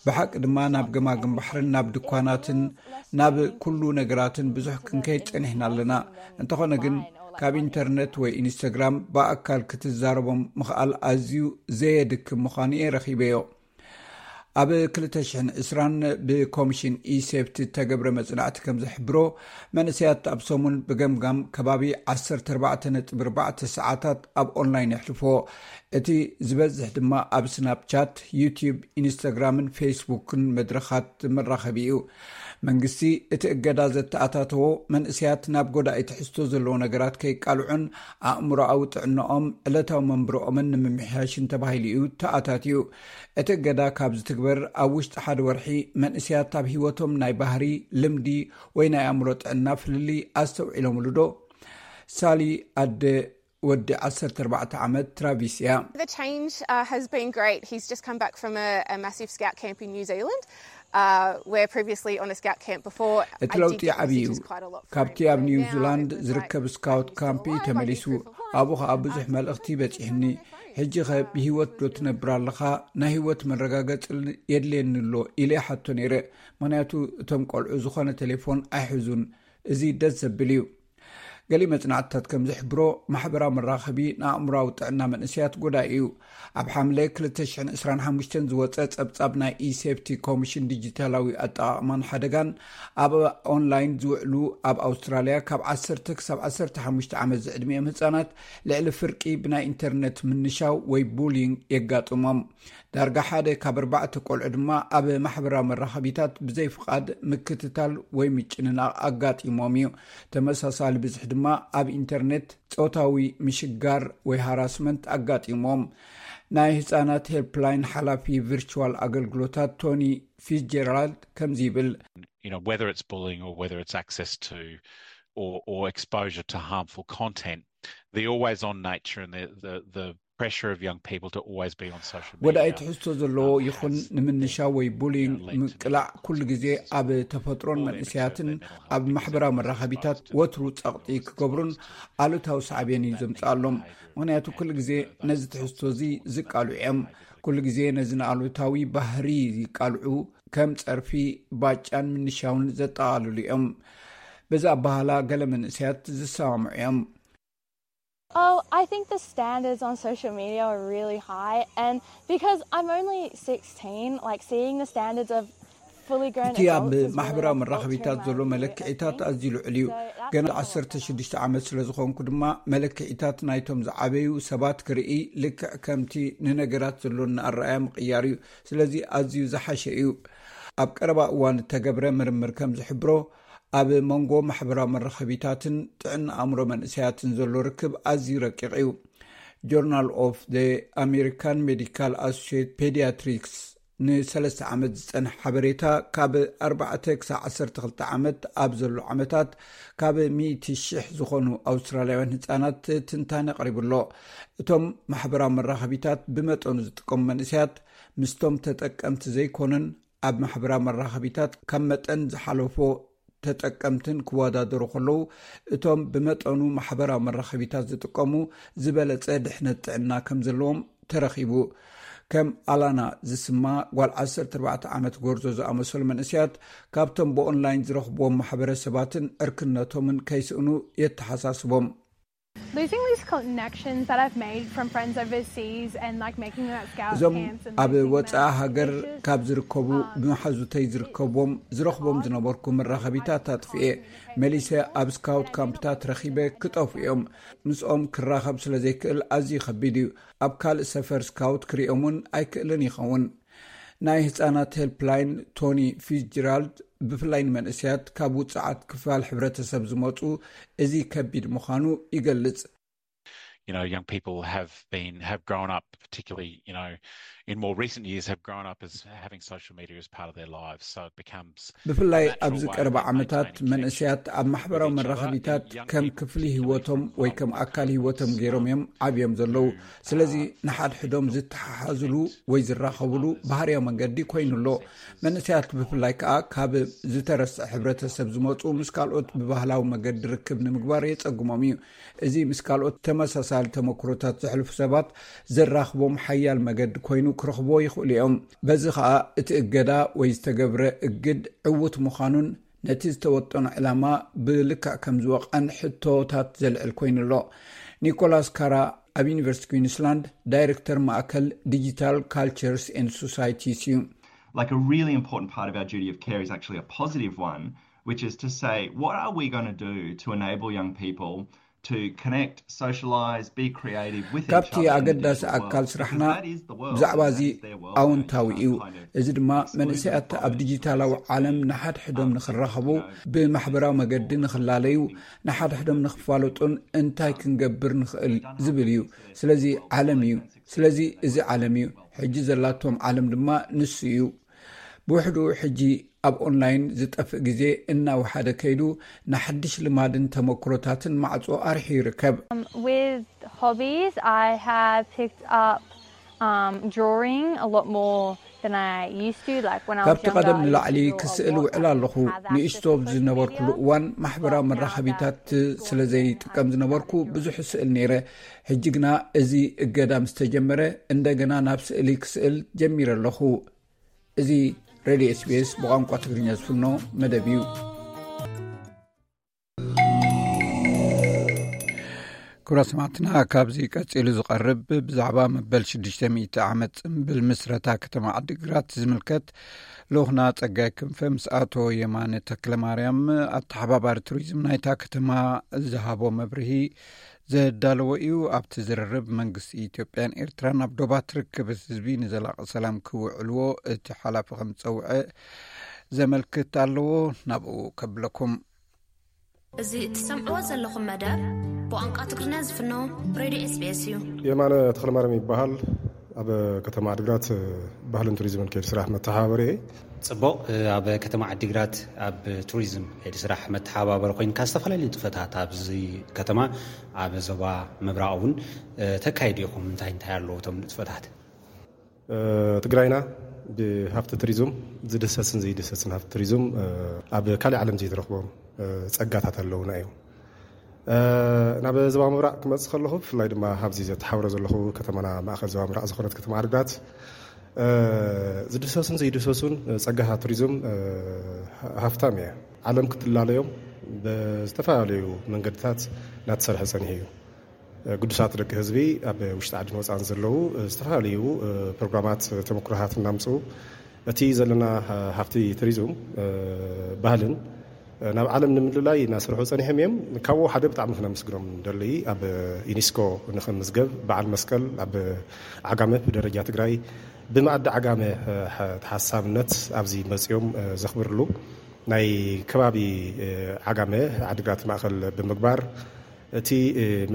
ብሓቂ ድማ ናብ ገማግም ባሕርን ናብ ድኳናትን ናብ ኩሉ ነገራትን ብዙሕ ክንከይድ ጸኒሕና ኣለና። እንተኾነ ግን ካብ ኢንተርነት ወይ ኢንስታግራም ብኣካል ክትዛረቦም ምኽኣል ኣዝዩ ዘየድክም ምዃኑ እየ ረኺበዮ። ኣብ ክልተ ሽሕን ዕስራን ብኮሚሽን ኢሴፍቲ እተገብረ መጽናዕቲ ከም ዝሕብሮ፣ መንእሰያት ኣብ ሰሙን ብገምጋም ከባቢ ዓሰርተ ኣርባዕተ ነጥቢ ኣርባዕተ ሰዓታት ኣብ ኦንላይን የሕልፍዎ። እቲ ዝበዝሕ ድማ ኣብ ስናፕቻት፣ ዩቲዩብ፣ ኢንስታግራምን ፌስቡክን መድረኻት መራኸቢ እዩ። መንግስቲ እቲ እገዳ ዘተኣታተዎ፣ መንእሰያት ናብ ጎዳኢ ትሕዝቶ ዘለዎ ነገራት ከይቃልዑን ኣእምሮኣዊ ጥዕናኦም ዕለታዊ መንብሮኦምን ንምምሕያሽን ተባሂሉ እዩ ተኣታትዩ። እቲ እገዳ ካብ ዝትግበር ኣብ ውሽጢ ሓደ ወርሒ፣ መንእሰያት ኣብ ህይወቶም ናይ ባህሪ፣ ልምዲ ወይ ናይ ኣእምሮ ጥዕና ፍልልይ ኣስተውዒሎምሉ ዶ? ሳሊ ኣደ ወዲ ዓሰርተ ኣርባዕተ ዓመት ትራቪስ እያ። The change uh, has been great. He's just come back from a, a massive scout camp in New Zealand, uh, where previously on a scout camp before. እቲ ለውጢ ዓብዪ እዩ። ካብቲ ኣብ ኒውዚላንድ ዝርከብ ስካውት ካምፕ ተመሊሱ። ኣብኡ ኸኣ ብዙሕ መልእኽቲ በጺሕኒ። ሕጂ ኸ ብህይወት ዶ ትነብር ኣለኻ? ናይ ህይወት መረጋገጺ የድልየኒ ኣሎ ኢለ ሓቶ ነይረ። ምኽንያቱ እቶም ቆልዑ ዝኾነ ቴሌፎን ኣይሕዙን። እዚ ደስ ዘብል እዩ። ገሊ መጽናዕትታት ከም ዝሕብሮ፣ ማሕበራዊ መራኸቢ ንኣእምሮኣዊ ጥዕና መንእሰያት ጎዳኢ እዩ። ኣብ ሓምለ ክልተ ሽሕን ዕስራን ሓሙሽተን ዝወጸ ጸብጻብ ናይ ኢሴፍቲ ኮሚሽን ዲጂታላዊ ኣጠቓቕማን ሓደጋን፣ ኣብ ኦንላይን ዝውዕሉ ኣብ ኣውስትራልያ ካብ ዓሰርተ ክሳብ ዓሰርተ ሓሙሽተ ዓመት ዝዕድሚኦም ህጻናት ልዕሊ ፍርቂ ብናይ ኢንተርነት ምንሻው ወይ ቡሊንግ የጋጥሞም። ዳርጋ ሓደ ካብ ኣርባዕተ ቆልዑ ድማ ኣብ ማሕበራዊ መራኸቢታት ብዘይ ፍቓድ ምክትታል ወይ ምጭንናቕ ኣጋጢሞም እዩ። ተመሳሳሊ ብዝሒ ድማ ኣብ ኢንተርኔት ጾታዊ ምሽጋር ወይ ሃራስመንት ኣጋጢሞም። ናይ ህጻናት ሄልፕላይን ሓላፊ ቪርቹዋል ኣገልግሎታት ቶኒ ፊትጀራልድ ከምዚ ይብል። You know, whether it's bullying or whether it's access to or, or exposure to harmful content, the always on nature and the, the, the pressure of young people to always be on social media. ወዳኢ ትሕዝቶ ዘለዎ ይኹን ንምንሻው ወይ ቡሊንግ ምቅላዕ ኩሉ ግዜ ኣብ ተፈጥሮን መንእሰያትን ኣብ ማሕበራዊ መራኸቢታት ወትሩ ጸቕጢ ክገብሩን ኣሉታዊ ሳዕቤን እዩ ዘምጽኣሎም። ምኽንያቱ ኩሉ ግዜ ነዚ ትሕዝቶ እዚ ዝቃልዑ እዮም። ኩሉ ግዜ ነዚ ንኣሉታዊ ባህሪ ይቃልዑ፣ ከም ጸርፊ፣ ባጫን ምንሻውን ዘጠቓልሉ እዮም። በዚ ኣበሃላ ገለ መንእሰያት ዝሰማምዑ እዮም። Oh, I think the standards on social media are really high, and because I'm only sixteen, like seeing the standards of fully grown እቲ ኣብ ማሕበራዊ መራኸቢታት ዘሎ መለክዒታት ኣዝዩ ልዑል እዩ። ገና ዓሰርተ ሽዱሽተ ዓመት ስለ ዝኾንኩ ድማ መለክዒታት ናይቶም ዝዓበዩ ሰባት ክርኢ ልክዕ ከምቲ ንነገራት ዘሎና ኣረኣያ ምቕያር እዩ። ስለዚ ኣዝዩ ዝሓሸ እዩ። ኣብ ቀረባ እዋን እተገብረ ምርምር ከም ዝሕብሮ፣ ኣብ መንጎ ማሕበራዊ መራኸቢታትን ጥዕና ኣእምሮ መንእሰያትን ዘሎ ርክብ ኣዝዩ ረቂቕ እዩ። ጆርናል ኦፍ ዘ ኣሜሪካን ሜዲካል ኣሶሽት ፔዲያትሪክስ ንሰለስተ ዓመት ዝጸንሕ ሓበሬታ፣ ካብ ኣርባዕተ ክሳብ ዓሰርተ ክልተ ዓመት ኣብ ዘሎ ዓመታት ካብ ሚእቲ ሽሕ ዝኾኑ ኣውስትራልያውያን ህጻናት ትንታነ ኣቕሪቡ ኣሎ። እቶም ማሕበራዊ መራኸቢታት ብመጠኑ ዝጥቀሙ መንእሰያት፣ ምስቶም ተጠቀምቲ ዘይኮኑን ኣብ ማሕበራዊ መራኸቢታት ካብ መጠን ዝሓለፎ ተጠቀምትን ክወዳደሩ ከለዉ፣ እቶም ብመጠኑ ማሕበራዊ መራኸቢታት ዝጥቀሙ ዝበለጸ ድሕነት ጥዕና ከም ዘለዎም ተረኺቡ። ከም ኣላና ዝስማ ጓል ዓሰርተ ኣርባዕተ ዓመት ጎርዞ ዝኣመሰሉ መንእሰያት፣ ካብቶም ብኦንላይን ዝረኽብዎም ማሕበረሰባትን ዕርክነቶምን ከይስእኑ የተሓሳስቦም። Losing these connections that I've made from friends overseas and like making them at scout እዞም camps and ኣብ losing ወፃኢ them, ሃገር it's just, ካብ ዝርከቡ ብምሓዙተይ ዝርከቦም ዝረኽቦም ዝነበርኩ መራኸቢታት ኣጥፍኤ መሊሰ ኣብ ስካውት ካምፕታት ረኺበ ክጠፉ እዮም። ምስኦም ክራኸብ ስለ ዘይክእል ኣዝዩ ከቢድ እዩ። ኣብ ካልእ ሰፈር ስካውት ክሪኦም እውን ኣይክእልን ይኸውን። ናይ ህፃናት ሄልፕላይን ቶኒ ፊትዝጀራልድ ብፍላይ ንመንእሰያት ካብ ውፅዓት ክፋል ሕብረተሰብ ዝመፁ እዚ ከቢድ ምዃኑ ይገልጽ። You know, young people have been have grown up, particularly, you know, in more recent years, have grown up as having social media as part of their lives. So it becomes ብፍላይ ኣብዚ ቀረባ ዓመታት መንእሰያት ኣብ ማሕበራዊ መራኸቢታት ከም ክፍሊ ህይወቶም ወይ ከም ኣካል ህይወቶም ገይሮም እዮም ዓብዮም ዘለዉ። ስለዚ ንሓድሕዶም ዝተሓሓዝሉ ወይ ዝራኸብሉ ባህርያዊ መንገዲ ኮይኑ ኣሎ። መንእሰያት ብፍላይ ከኣ ካብ ዝተረስዐ ሕብረተሰብ ዝመፁ ምስ ካልኦት ብባህላዊ መገዲ ርክብ ንምግባር የፀግሞም እዩ። እዚ ምስ ካልኦት ተመሳሳሊ ተመክሮታት ዘሕልፉ ሰባት ዘራኽቦም ሓያል መገዲ ኮይኑ ክረኽቦ ይኽእሉ እዮም። በዚ ኸኣ እቲ እገዳ ወይ ዝተገብረ እግድ ዕዉት ምዃኑን ነቲ ዝተወጠኖ ዕላማ ብልክዕ ከም ዝወቕዐን ሕቶታት ዘልዕል ኮይኑ ኣሎ። ኒኮላስ ካራ ኣብ ዩኒቨርሲቲ ኩዊንስላንድ ዳይሬክተር ማእከል ዲጂታል ካልቸርስ ኤንድ ሶሳይቲስ እዩ። Like a really important part of our duty of care is actually a positive one, which is to say, what are we going to do to enable young people to connect, socialize, be creative with each ካብቲ other in the ኣገዳሲ digital ኣካል world? ስራሕና Because that is the world, ብዛዕባ and እዚ that is their world, and ኣውንታዊ it's እዩ። not kind of እዚ ድማ excluded መንእሰያት from ኣብ it. ዲጂታላዊ ዓለም ንሓድሕዶም ንኽራኸቡ፣ ብማሕበራዊ መገዲ ንኽላለዩ፣ ንሓድሕዶም ንኽፋለጡን እንታይ ክንገብር ንኽእል ዝብል እዩ። ስለዚ ዓለም እዩ። ስለዚ እዚ ዓለም እዩ። ሕጂ ዘላቶም ዓለም ድማ ንሱ እዩ። ብውሕዱ ሕጂ ኣብ ኦንላይን ዝጠፍእ ግዜ እናወሓደ ከይዱ፣ ንሓድሽ ልማድን ተመክሮታትን ማዕጾ ኣርሒዩ ይርከብ። Um, with hobbies, I have picked up um, drawing a lot more than I used to. Like when I was ካብቲ younger, ቀደም I used to ንላዕሊ draw a ክስእል lot. ውዕል I ኣለኹ። didn't have access ንእሽቶ to social ዝነበርኩሉ media, እዋን ማሕበራዊ but now መራኸቢታት that it's ስለ ዘይጥቀም ዝነበርኩ ብዙሕ ስእል ነይረ። ሕጂ ግና እዚ እገዳ ምስ ተጀመረ እንደገና ናብ ስእሊ ክስእል ጀሚረ ኣለኹ። እዚ ሬድዮ ኤስቢኤስ ብቋንቋ ትግርኛ ዝፍኖ መደብ እዩ። ክቡራት ሰማዕትና፣ ካብዚ ቀጺሉ ዝቐርብ ብዛዕባ መበል ሽዱሽተ ሚእቲ ዓመት ጽምብል ምስረታ ከተማ ዓዲግራት ዝምልከት ልኡኽና ጸጋይ ክንፈ ምስ ኣቶ የማነ ተክለማርያም ኣተሓባባሪ ቱሪዝም ናይታ ከተማ ዝሃቦ መብርሂ ዘዳለዎ እዩ። ኣብቲ ዝርርብ መንግስቲ ኢትዮጵያን ኤርትራን ኣብ ዶባት ርክብ ህዝቢ ንዘላቒ ሰላም ክውዕልዎ እቲ ሓላፊ ከም ዝጸውዐ ዘመልክት ኣለዎ። ናብኡ ከብለኩም። እዚ እትሰምዕዎ ዘለኹም መደብ ብቋንቋ ትግርኛ ዝፍኖ ሬድዮ ኤስቢኤስ እዩ። የማነ ተኽለማርያም ይበሃል። ኣብ ከተማ ዓዲግራት ባህልን ቱሪዝምን ከይዲ ስራሕ መተሓባበሪ እየ። ጽቡቕ። ኣብ ከተማ ዓዲግራት ኣብ ቱሪዝም ከይዲ ስራሕ መተሓባበሪ ኮይንካ ዝተፈላለዩ ንጥፈታት ኣብዚ ከተማ ኣብ ዞባ ምብራቕ እውን ተካይዱ ኢኹም። እንታይ እንታይ ኣለዉ እቶም ንጥፈታት? ትግራይና ብሃፍቲ ቱሪዝም ዝድሰስን ዘይድሰስን ሃፍቲ ቱሪዝም ኣብ ካልእ ዓለም ዘይትረኽቦም ጸጋታት ኣለውና እዮም። ናብ ዞባ ምብራቕ ክመጽእ ከለኹ ብፍላይ ድማ ኣብዚ ዘተሓብሮ ዘለኹ ከተማና ማእኸል ዞባ ምብራቕ ዝኾነት ከተማ ዓዲግራት ዝድሰሱን ዘይድሰሱን ጸጋታት ቱሪዝም ሃፍታም እያ። ዓለም ክትላለዮም ብዝተፈላለዩ መንገድታት እናተሰርሐ ጸኒሑ እዩ። ግዱሳት ደቂ ህዝቢ ኣብ ውሽጢ ዓድን ወፃን ዘለዉ ዝተፈላለዩ ፕሮግራማት ተመክሮታት እናምፅኡ እቲ ዘለና ሃፍቲ ቱሪዝም ባህልን ናብ ዓለም ንምልላይ እናሰርሑ ፀኒሖም እዮም። ካብኡ ሓደ ብጣዕሚ ክነመስግኖም ንደሊ ኣብ ዩኒስኮ ንክምዝገብ በዓል መስቀል ኣብ ዓጋመ ብደረጃ ትግራይ ብመኣዲ ዓጋመ ተሓሳብነት ኣብዚ መፅኦም ዘኽብርሉ ናይ ከባቢ ዓጋመ ዓድግራት ማእኸል ብምግባር እቲ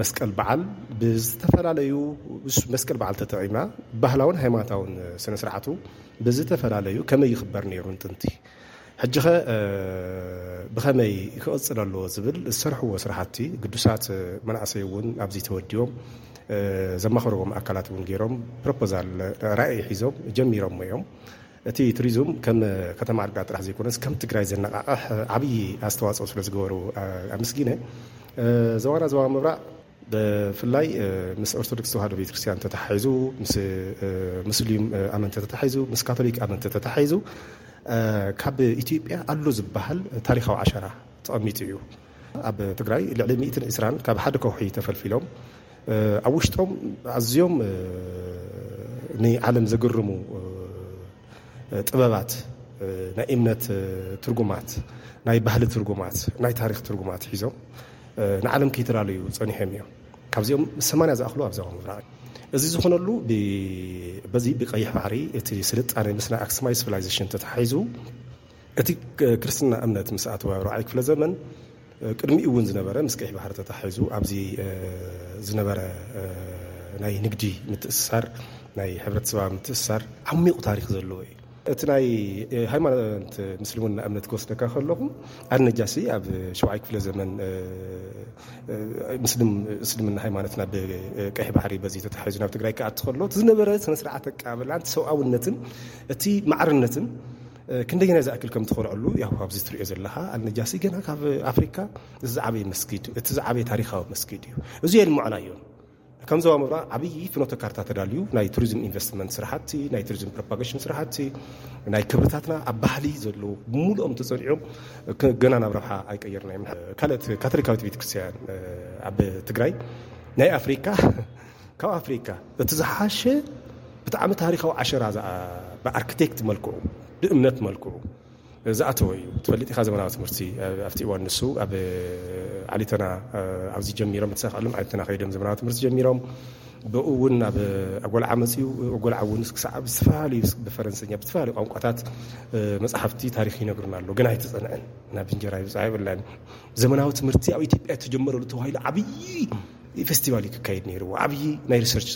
መስቀል በዓል ብዝተፈላለዩ መስቀል በዓል ተጠቒምና ባህላውን ሃይማኖታውን ስነ ስርዓቱ ብዝተፈላለዩ ከመይ ይኽበር ነይሩ ንጥንቲ ሕጂ ኸ ብኸመይ ክቕፅል ኣለዎ ዝብል ዝሰርሕዎ ስራሕቲ ግዱሳት መናእሰይ እውን ኣብዚ ተወዲቦም ዘማኽርዎም ኣካላት እውን ገይሮም ፕሮፖዛል ራእይ ሒዞም ጀሚሮም እዮም። እቲ ቱሪዝም ከም ከተማ ዓድግራት ጥራሕ ዘይኮነስ ከም ትግራይ ዘነቃቕሕ ዓብዪ ኣስተዋፅኦ ስለ ዝገበሩ ኣመስጊነ። ዞባና ዞባ ምብራቕ ብፍላይ ምስ ኦርቶዶክስ ተዋህዶ ቤተክርስትያን ተተሓሒዙ ምስ ሙስሊም ኣመንቲ ተተሓሒዙ ምስ ካቶሊክ ኣመንቲ ተተሓሒዙ ካብ ኢትዮጵያ ኣሎ ዝበሃል ታሪካዊ ዓሸራ ተቐሚጡ እዩ። ኣብ ትግራይ ልዕሊ ሚእትን ዕስራን ካብ ሓደ ከውሒ ተፈልፊሎም ኣብ ውሽጦም ኣዝዮም ንዓለም ዘግርሙ ጥበባት፣ ናይ እምነት ትርጉማት፣ ናይ ባህሊ ትርጉማት፣ ናይ ታሪኽ ትርጉማት ሒዞም ንዓለም ከይተላለዩ ጸኒሖም እዮም። ካብዚኦም ሰማንያ ዝኣኽሉ ኣብ ዞባ ምብራቕ። እዚ ዝኾነሉ በዚ ብቀይሕ ባሕሪ እቲ ስልጣነ ምስ ናይ ኣክሱማይ ሲቪላይዜሽን ተተሓሒዙ እቲ ክርስትና እምነት ምስ ኣተወ ኣብ ራብዓይ ክፍለ ዘመን ቅድሚኡ እውን ዝነበረ ምስ ቀይሕ ባሕሪ ተታሒዙ ኣብዚ ዝነበረ ናይ ንግዲ ምትእስሳር፣ ናይ ሕብረተሰባዊ ምትእስሳር ዓሚቑ ታሪኽ ዘለዎ እዩ። እቲ ናይ ሃይማኖት ምስልምና እምነት ክወስደካ ከለኹ ኣልነጃሲ ኣብ ሸውዓይ ክፍለ ዘመን ምስልምና ሃይማኖትና ብቀይሕ ባሕሪ በዚ ተታሒዙ ናብ ትግራይ ክኣቲ ከሎ እቲ ዝነበረ ስነ ስርዓት ኣቀባብላን ሰብኣውነትን እቲ ማዕርነትን ክንደየናይ ዝኣክል ከም ትኾርዐሉ ያው ኣብዚ ትሪኦ ዘለኻ ኣልነጃሲ ገና ካብ ኣፍሪካ ዝዓበየ መስጊድ፣ እቲ ዝዓበየ ታሪኻዊ መስጊድ እዩ። እዚ የልምዖና እዮም። ከም ዞባ ምብራቕ ዓብዪ ፍኖተ ካርታ ተዳልዩ ናይ ቱሪዝም ኢንቨስትመንት ስራሕቲ፣ ናይ ቱሪዝም ፕሮፓጌሽን ስራሕቲ፣ ናይ ክብርታትና ኣብ ባህሊ ዘለዉ ብምሉኦም ተጸኒዖም ገና ናብ ረብሓ ኣይቀየርና እዮም። ካልኦት ካቶሊካዊት ቤተክርስትያን ኣብ ትግራይ ናይ ኣፍሪካ ካብ ኣፍሪካ እቲ ዝሓሸ ብጣዕሚ ታሪካዊ ዓሸራ ብኣርክቴክት መልክዑ ብእምነት መልክዑ ዝኣተወ እዩ። ትፈልጥ ኢኻ ዘመናዊ ትምህርቲ ኣብቲ እዋን ንሱ ኣብ ዓሊተና ኣብዚ ጀሚሮም ተሳኻሎም ዓሊተና ከይዶም ዘመናዊ ትምህርቲ ጀሚሮም ብኡ እውን ኣብ ኣጎልዓ መፅኡ ኣጎልዓ እውን ክሳዕ ብዝተፈላለዩ ብፈረንሰኛ ብዝተፈላለዩ ቋንቋታት መፅሓፍቲ ታሪክ ይነግሩና ኣሎ። ግን ኣይተፀንዐን ናብ እንጀራ ይብፃ ይብላን። ዘመናዊ ትምህርቲ ኣብ ኢትዮጵያ ተጀመረሉ ተባሂሉ ዓብዪ ፌስቲቫል እዩ ክካየድ ነይርዎ። ዓብዪ ናይ ሪሰርች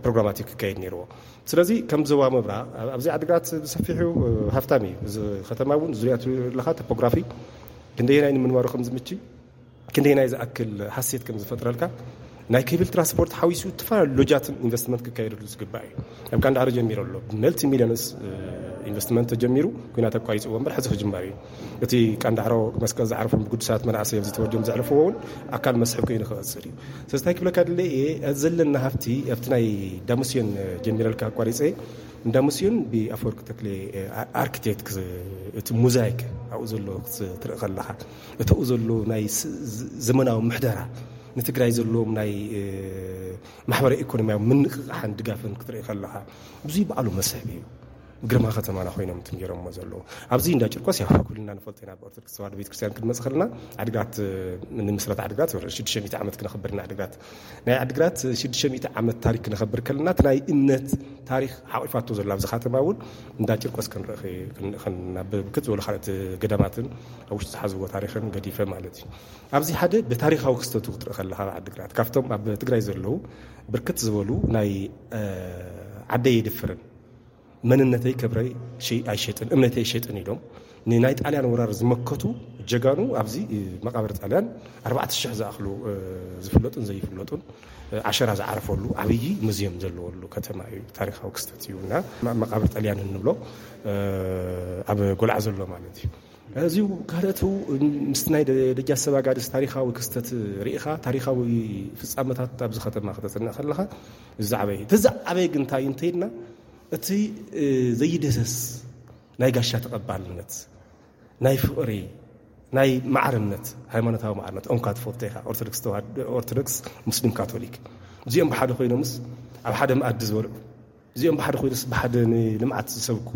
ፕሮግራማት እዩ ክካየድ ነይርዎ። ስለዚ ከም ዞባ ምብራቕ ኣብዚ ዓድግራት ብሰፊሑ ሃፍታም እዩ። እዚ ከተማ እውን ዙሪያ ኣለካ ቶፖግራፊ ክንደየናይ ንምንባሩ ከም ዝምች ክንደየናይ ዝኣክል ሃሴት ከም ዝፈጥረልካ ናይ ኬብል ትራንስፖርት ሓዊሱ ዝተፈላለዩ ሎጃትን ኢንቨስትመንት ክካየደሉ ዝግባእ እዩ። ኣብ ቃንዳዕሮ ጀሚሩ ኣሎ። መልቲ ሚሊዮንስ ኢንቨስትመንት ተጀሚሩ ኩናት ኣቋሪፅዎ እምበር ሕዚ ክጅመር እዩ። እቲ ቃንዳዕሮ መስቀል ዝዓርፎም ብግዱሳት መናእሰይ ኣብዚ ተወልዲዮም ዘዕርፍዎ እውን ኣካል መስሕብ ኮይኑ ክቐፅል እዩ። ስለዚ እንታይ ክብለካ ድለ እየ ዘለና ሃፍቲ ኣብቲ ናይ ዳሙስዮን ጀሚረልካ ኣቋሪፀ እንዳ ሙስዮን ብኣፈወርቂ ተክሌ ኣርኪቴክት እቲ ሙዛይክ ኣብኡ ዘሎ ክትርኢ ከለኻ እተኡ ዘሎ ናይ ዘመናዊ ምሕደራ ንትግራይ ዘለዎም ናይ ማሕበራዊ ኢኮኖሚያዊ ምንቕቓሕን ድጋፍን ክትርኢ ከለኻ ብዙይ በዓሉ መስሕብ እዩ። ግርማ ከተማና ኮይኖም ትንገሮሞ ዘለዉ ኣብዚ እንዳ ጭርቆስ ያ ኩልና ንፈልጦ ኢና። ብኦርቶዶክስ ተዋህዶ ቤተክርስትያን ክንመፅ ከለና ዓድግራት ንምስረት ዓድግራት ሽዱሽተ ሚእቲ ዓመት ክነኽብር ኢና። ዓድግራት ናይ ዓድግራት ሽዱሽተ ሚእቲ ዓመት ታሪክ ክነኽብር ከለና እቲ ናይ እምነት ታሪክ ሓቂፋቶ ዘሎ ኣብዚ ከተማ እውን እንዳ ጭርቆስ ክንርኢ ብርክት ዝበሉ ካልኦት ገዳማትን ኣብ ውሽጡ ዝሓዝዎ ታሪክን ገዲፈ ማለት እዩ። ኣብዚ ሓደ ብታሪካዊ ክስተቱ ክትርኢ ከለካ ኣብ ዓድግራት ካብቶም ኣብ ትግራይ ዘለዉ ብርክት ዝበሉ ናይ ዓደይ የድፍርን መንነተይ ክብረይ ኣይሸጥን እምነተይ ኣይሸጥን ኢሎም ንናይ ጣልያን ወራር ዝመከቱ ጀጋኑ ኣብዚ መቃብር ጣልያን ኣርባዕተ ሽሕ ዝኣኽሉ ዝፍለጡን ዘይፍለጡን ዓሸራ ዝዓረፈሉ ዓብዪ ሙዝየም ዘለዎሉ ከተማ እዩ። ታሪካዊ ክስተት እዩ እና መቃብር ጣልያን እንብሎ ኣብ ጎልዓ ዘሎ ማለት እዩ። እዚ ካልኦት ምስ ናይ ደጃ ሰባጋድስ ታሪካዊ ክስተት ርኢኻ ታሪካዊ ፍጻመታት ኣብዚ ከተማ ከተፅንዕ ከለኻ ዝዓበየ እቲ ዝዓበየ ግን እንታይ እንተይልና እቲ ዘይደሰስ ናይ ጋሻ ተቐባልነት ናይ ፍቕሪ ናይ ማዕርነት ሃይማኖታዊ ማዕርነት ኦንካ ትፈልጦ ኢኻ። ኦርቶዶክስ ተዋህዶ ኦርቶዶክስ ሙስሊም ካቶሊክ እዚኦም ብሓደ ኮይኖምስ ኣብ ሓደ መኣዲ ዝበልዑ እዚኦም ብሓደ ኮይኑስ ብሓደ ንልምዓት ዝሰብኩ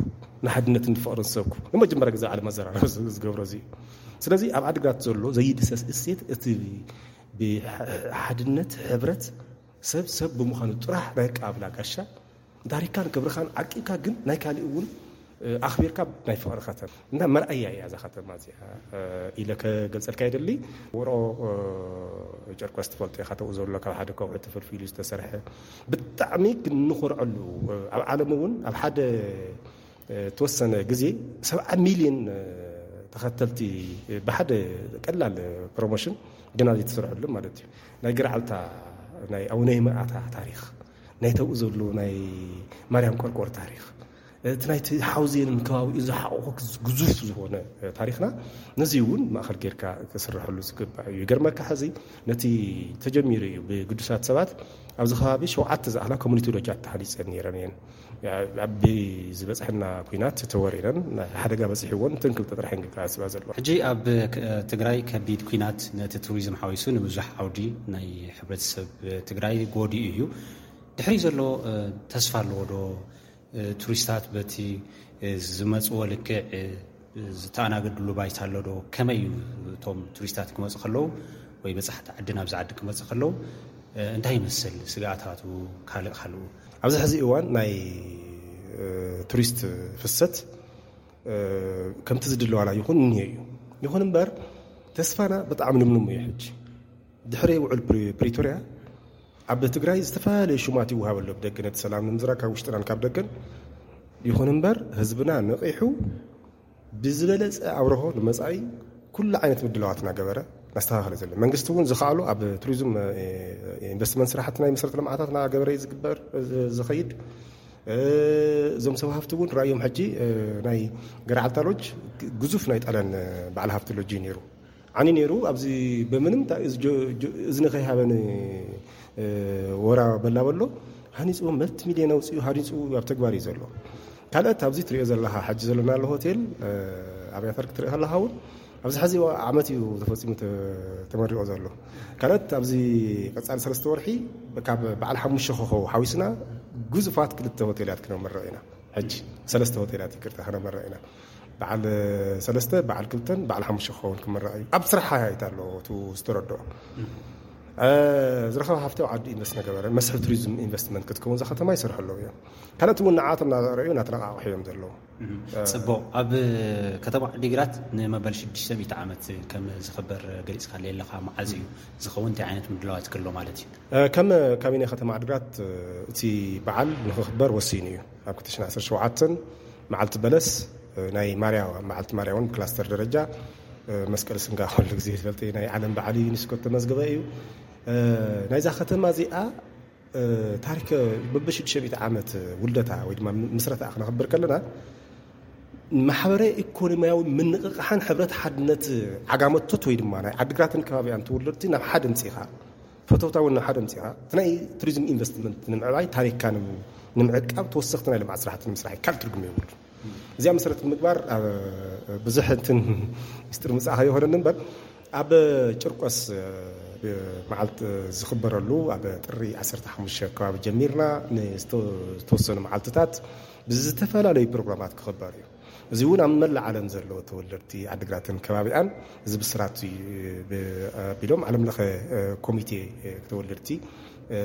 ንሓድነትን ንፍቕርን ዝሰብኩ ንመጀመርያ ግዜ ዓለም ኣዘራረብ ዝገብሮ እዚ እዩ። ስለዚ ኣብ ዓድግራት ዘሎ ዘይድሰስ እሴት እቲ ብሓድነት ሕብረት ሰብ ሰብ ብምዃኑ ጥራሕ ናይ ኣቀባብላ ጋሻ ታሪካን ክብርኻን ዓቂብካ ግን ናይ ካሊእ እውን ኣኽቢርካ ናይ ፍቕሪ ከተማ እና መርኣያ እያ እዛ ከተማ እዚኣ ኢለ ከገልፀልካ ይደሊ። ውሮ ጨርቆስ ትፈልጦ ኢኻ ተኡ ዘሎ ካብ ሓደ ከውሒ ተፈልፊሉ ዝተሰርሐ ብጣዕሚ ክንኾርዐሉ ኣብ ዓለም እውን ኣብ ሓደ ተወሰነ ግዜ ሰብዓ ሚሊዮን ተኸተልቲ ብሓደ ቀላል ፕሮሞሽን ግና ዘይተሰርሐሉ ማለት እዩ። ናይ ገርዓልታ ናይ ኣቡነ ይምኣታ ታሪክ ናይ ተብኡ ዘሎ ናይ ማርያም ቆርቆር ታሪክ እቲ ናይቲ ሓውዜንን ከባቢኡ ዝሓቆፈ ግዙፍ ዝኾነ ታሪኽና፣ ነዚ እውን ማእኸል ጌርካ ክስረሐሉ ዝግባእ እዩ። ይገርመካ፣ ሕዚ ነቲ ተጀሚሩ እዩ ብግዱሳት ሰባት ኣብዚ ከባቢ ሸውዓተ ዝኣኽላ ኮሚኒቲ ሎጃት ተሃኒፀን ነይረን እየን። ኣብ ዝበፅሐና ኲናት ተወሪረን፣ ሓደጋ በፂሕዎን እተን ክልተ ጥራሕ እየን ክከኣስባ ዘለዋ። ሕጂ ኣብ ክ-፣ ትግራይ ከቢድ ኲናት ነቲ ቱሪዝም ሓዊሱ ንብዙሕ ዓውዲ ናይ ሕብረተሰብ ትግራይ ጎዲኡ እዩ። ድሕሪ ዘሎ፣ እ፣ ተስፋ ኣለዎ ዶ? እ፣ ቱሪስታት በቲ፣ እ፣ ዝመጽዎ ልክዕ፣ እ፣ ዝተኣናገድሉ ባይታ ኣሎ ዶ? ከመይ እዩ እቶም ቱሪስታት ክመጹ ከለዉ ወይ በጻሕቲ ዓዲ ናብዚ ዓዲ ክመጹ ከለዉ፣ እ፣ እንታይ ይመስል ስግኣታቱ? ካልእ ካልኡ? ኣብዚ ሕዚ እዋን ናይ፣ እ፣ ቱሪስት ፍሰት፣ እ፣ ከምቲ ዝድለዋላ ይኹን እኒሄ እዩ። ይኹን እምበር ተስፋና ብጣዕሚ ልምሉም እዩ ሕጂ። ድሕሪ ውዕል ፕሪ-፣ ፕሪቶርያ ኣብ ትግራይ ዝተፈላለየ ሽማት ይወሃብ ኣሎ ብደገ ነቲ ሰላም ንምዝራግ ካብ ውሽጥናን ካብ ደገን። ይኹን እምበር ህዝብና ነቒሑ ብዝበለጸ ኣብርሆ ንመጻኢ ኩሉ ዓይነት ምድላዋት እናገበረ እናስተኻኸለ ዘሎ። መንግስቲ እውን ዝኸኣሎ ኣብ ቱሪዝም፣ እ፣ ኢንቨስትመንት ስራሕቲ ናይ መሰረተ ልምዓታት እናገበረ እዩ ዝግበር፣ እ፣ ዝኸይድ። እ፣ እዞም ሰብ ሃፍቲ እውን ራእዮም ሕጂ፣ እ፣ ናይ ገርዓልታ ሎጅ ግዙፍ ናይ ጣልያን፣ እ፣ በዓል ሃፍቲ ሎጅ እዩ ነይሩ። ዓኒ ነይሩ። ኣብዚ ብምንም ታ-፣ እዚ ጆ-፣ ጆ-፣ እዝኒ ከይሃበኒ፣ እ፣ ወራ በላ በሎ ሃኒፅዎ፣ መልቲ ሚልዮን ኣውፅኡ ሃኒፁ ኣብ ተግባር እዩ ዘሎ። ካልኦት ኣብዚ ትሪኦ ዘለኻ ሕጂ ዘለናሉ ሆቴል፣ እ፣ ኣብያተር ክትርኢ ከለኻ እውን ኣብዚ ሕዚ ዓመት እዩ ተፈፂሙ ተ-፣ ተመሪቆ ዘሎ። ካልኦት ኣብዚ ቀፃሊ ሰለስተ ወርሒ ካብ በዓል ሓሙሽተ ኮኸብ ሓዊስና ግዙፋት ክልተ ሆቴላት ክነመርቕ ኢና። ሕጂ ሰለስተ ሆቴላት ይቅርታ ክነመርቕ ኢና። በዓል ሰለስተ፣ በዓል ክልተን በዓል ሓሙሽተ ክኸውን ክምረቕ እዩ። ኣብ ስራሕ ሃይታ ኣለዎ፣ እቲ ዝተረድኦ። እ፣ ዝረኸበ ሃፍቲ ኣብ ዓዲ ኢንቨስት ነገበረ፣ መስሕብ ቱሪዝም ኢንቨስትመንት ክትከውን እዛ ከተማ ይሰርሑ ኣለዉ እዮም። ካልኦት እውን ንዓቶም እናረኣዩ እናተነቓቕሑ እዮም ዘለዉ። እ፣ ጽቡቕ። ኣብ ከተማ ዓዲግራት ንመበል ሽዱሽተ ሚእቲ ዓመት ከም ዝኽበር ገሊጽካለይ ኣለኻ። መዓዝ እዩ ዝኸውን? እንታይ ዓይነት ምድላዋት ክህሎ ማለት እዩ? እ፣ ከም ካቢኔ ከተማ ዓዲግራት፣ እ፣ እቲ በዓል ንኽኽበር ወሲኑ እዩ። ኣብ ክልተ ሽሕን ዓሰርተ ሸውዓተን መዓልቲ በለስ፣ እ፣ ናይ ማርያ፣ መዓልቲ ማርያ እውን ብክላስተር ደረጃ፣ እ፣ መስቀል ስንጋ ኩሉ ግዜ ዝፈልጥ ናይ ዓለም በዓል ዩኒስኮ ተመዝገበ እዩ። እ፣ ናይዛ ከተማ እዚኣ፣ እ፣ ታሪክ በብሽዱሽተ ሚእቲ ዓመት ውልደታ ወይ ድማ ምስረታ ክነኽብር ከለና ማሕበረ ኢኮኖሚያዊ ምንቕቓሕን ሕብረት ሓድነት ዓጋመቶት ወይ ድማ ናይ ዓዲግራትን ከባቢኣን ተወለድቲ ናብ ሓደ ምፂኻ፣ ፈተውታ እውን ናብ ሓደ ምፂኻ፣ እቲ ናይ ቱሪዝም ኢንቨስትመንት ንምዕባይ፣ ታሪክካ ንም-፣ ንምዕቃብ፣ ተወሰኽቲ ናይ ልምዓት ስራሕቲ ንምስራሕ ካልእ ትርጉም የብሉ። እዚኣ መሰረት ንምግባር ኣብ ብዙሕ እንትን ሚስጥር ምጻእ ከይኾነኒ እምበር፣ ኣብ ጭርቆስ፣ እ፣ መዓልቲ ዝኽበረሉ ኣብ ጥሪ ዓሰርተ ሓሙሽተ ከባቢ ጀሚርና ንዝተ-፣ ዝተወሰኑ መዓልትታት ብዝተፈላለዩ ፕሮግራማት ክኽበር እዩ። እዚ እውን ኣብ መላእ ዓለም ዘለዉ ተወለድቲ ዓዲግራትን ከባቢኣን እዚ ብስራት እዩ ብ-፣ ኣቢሎም ዓለም ለኸ፣ እ፣ ኮሚቴ፣ እ፣ ተወለድቲ፣ እ፣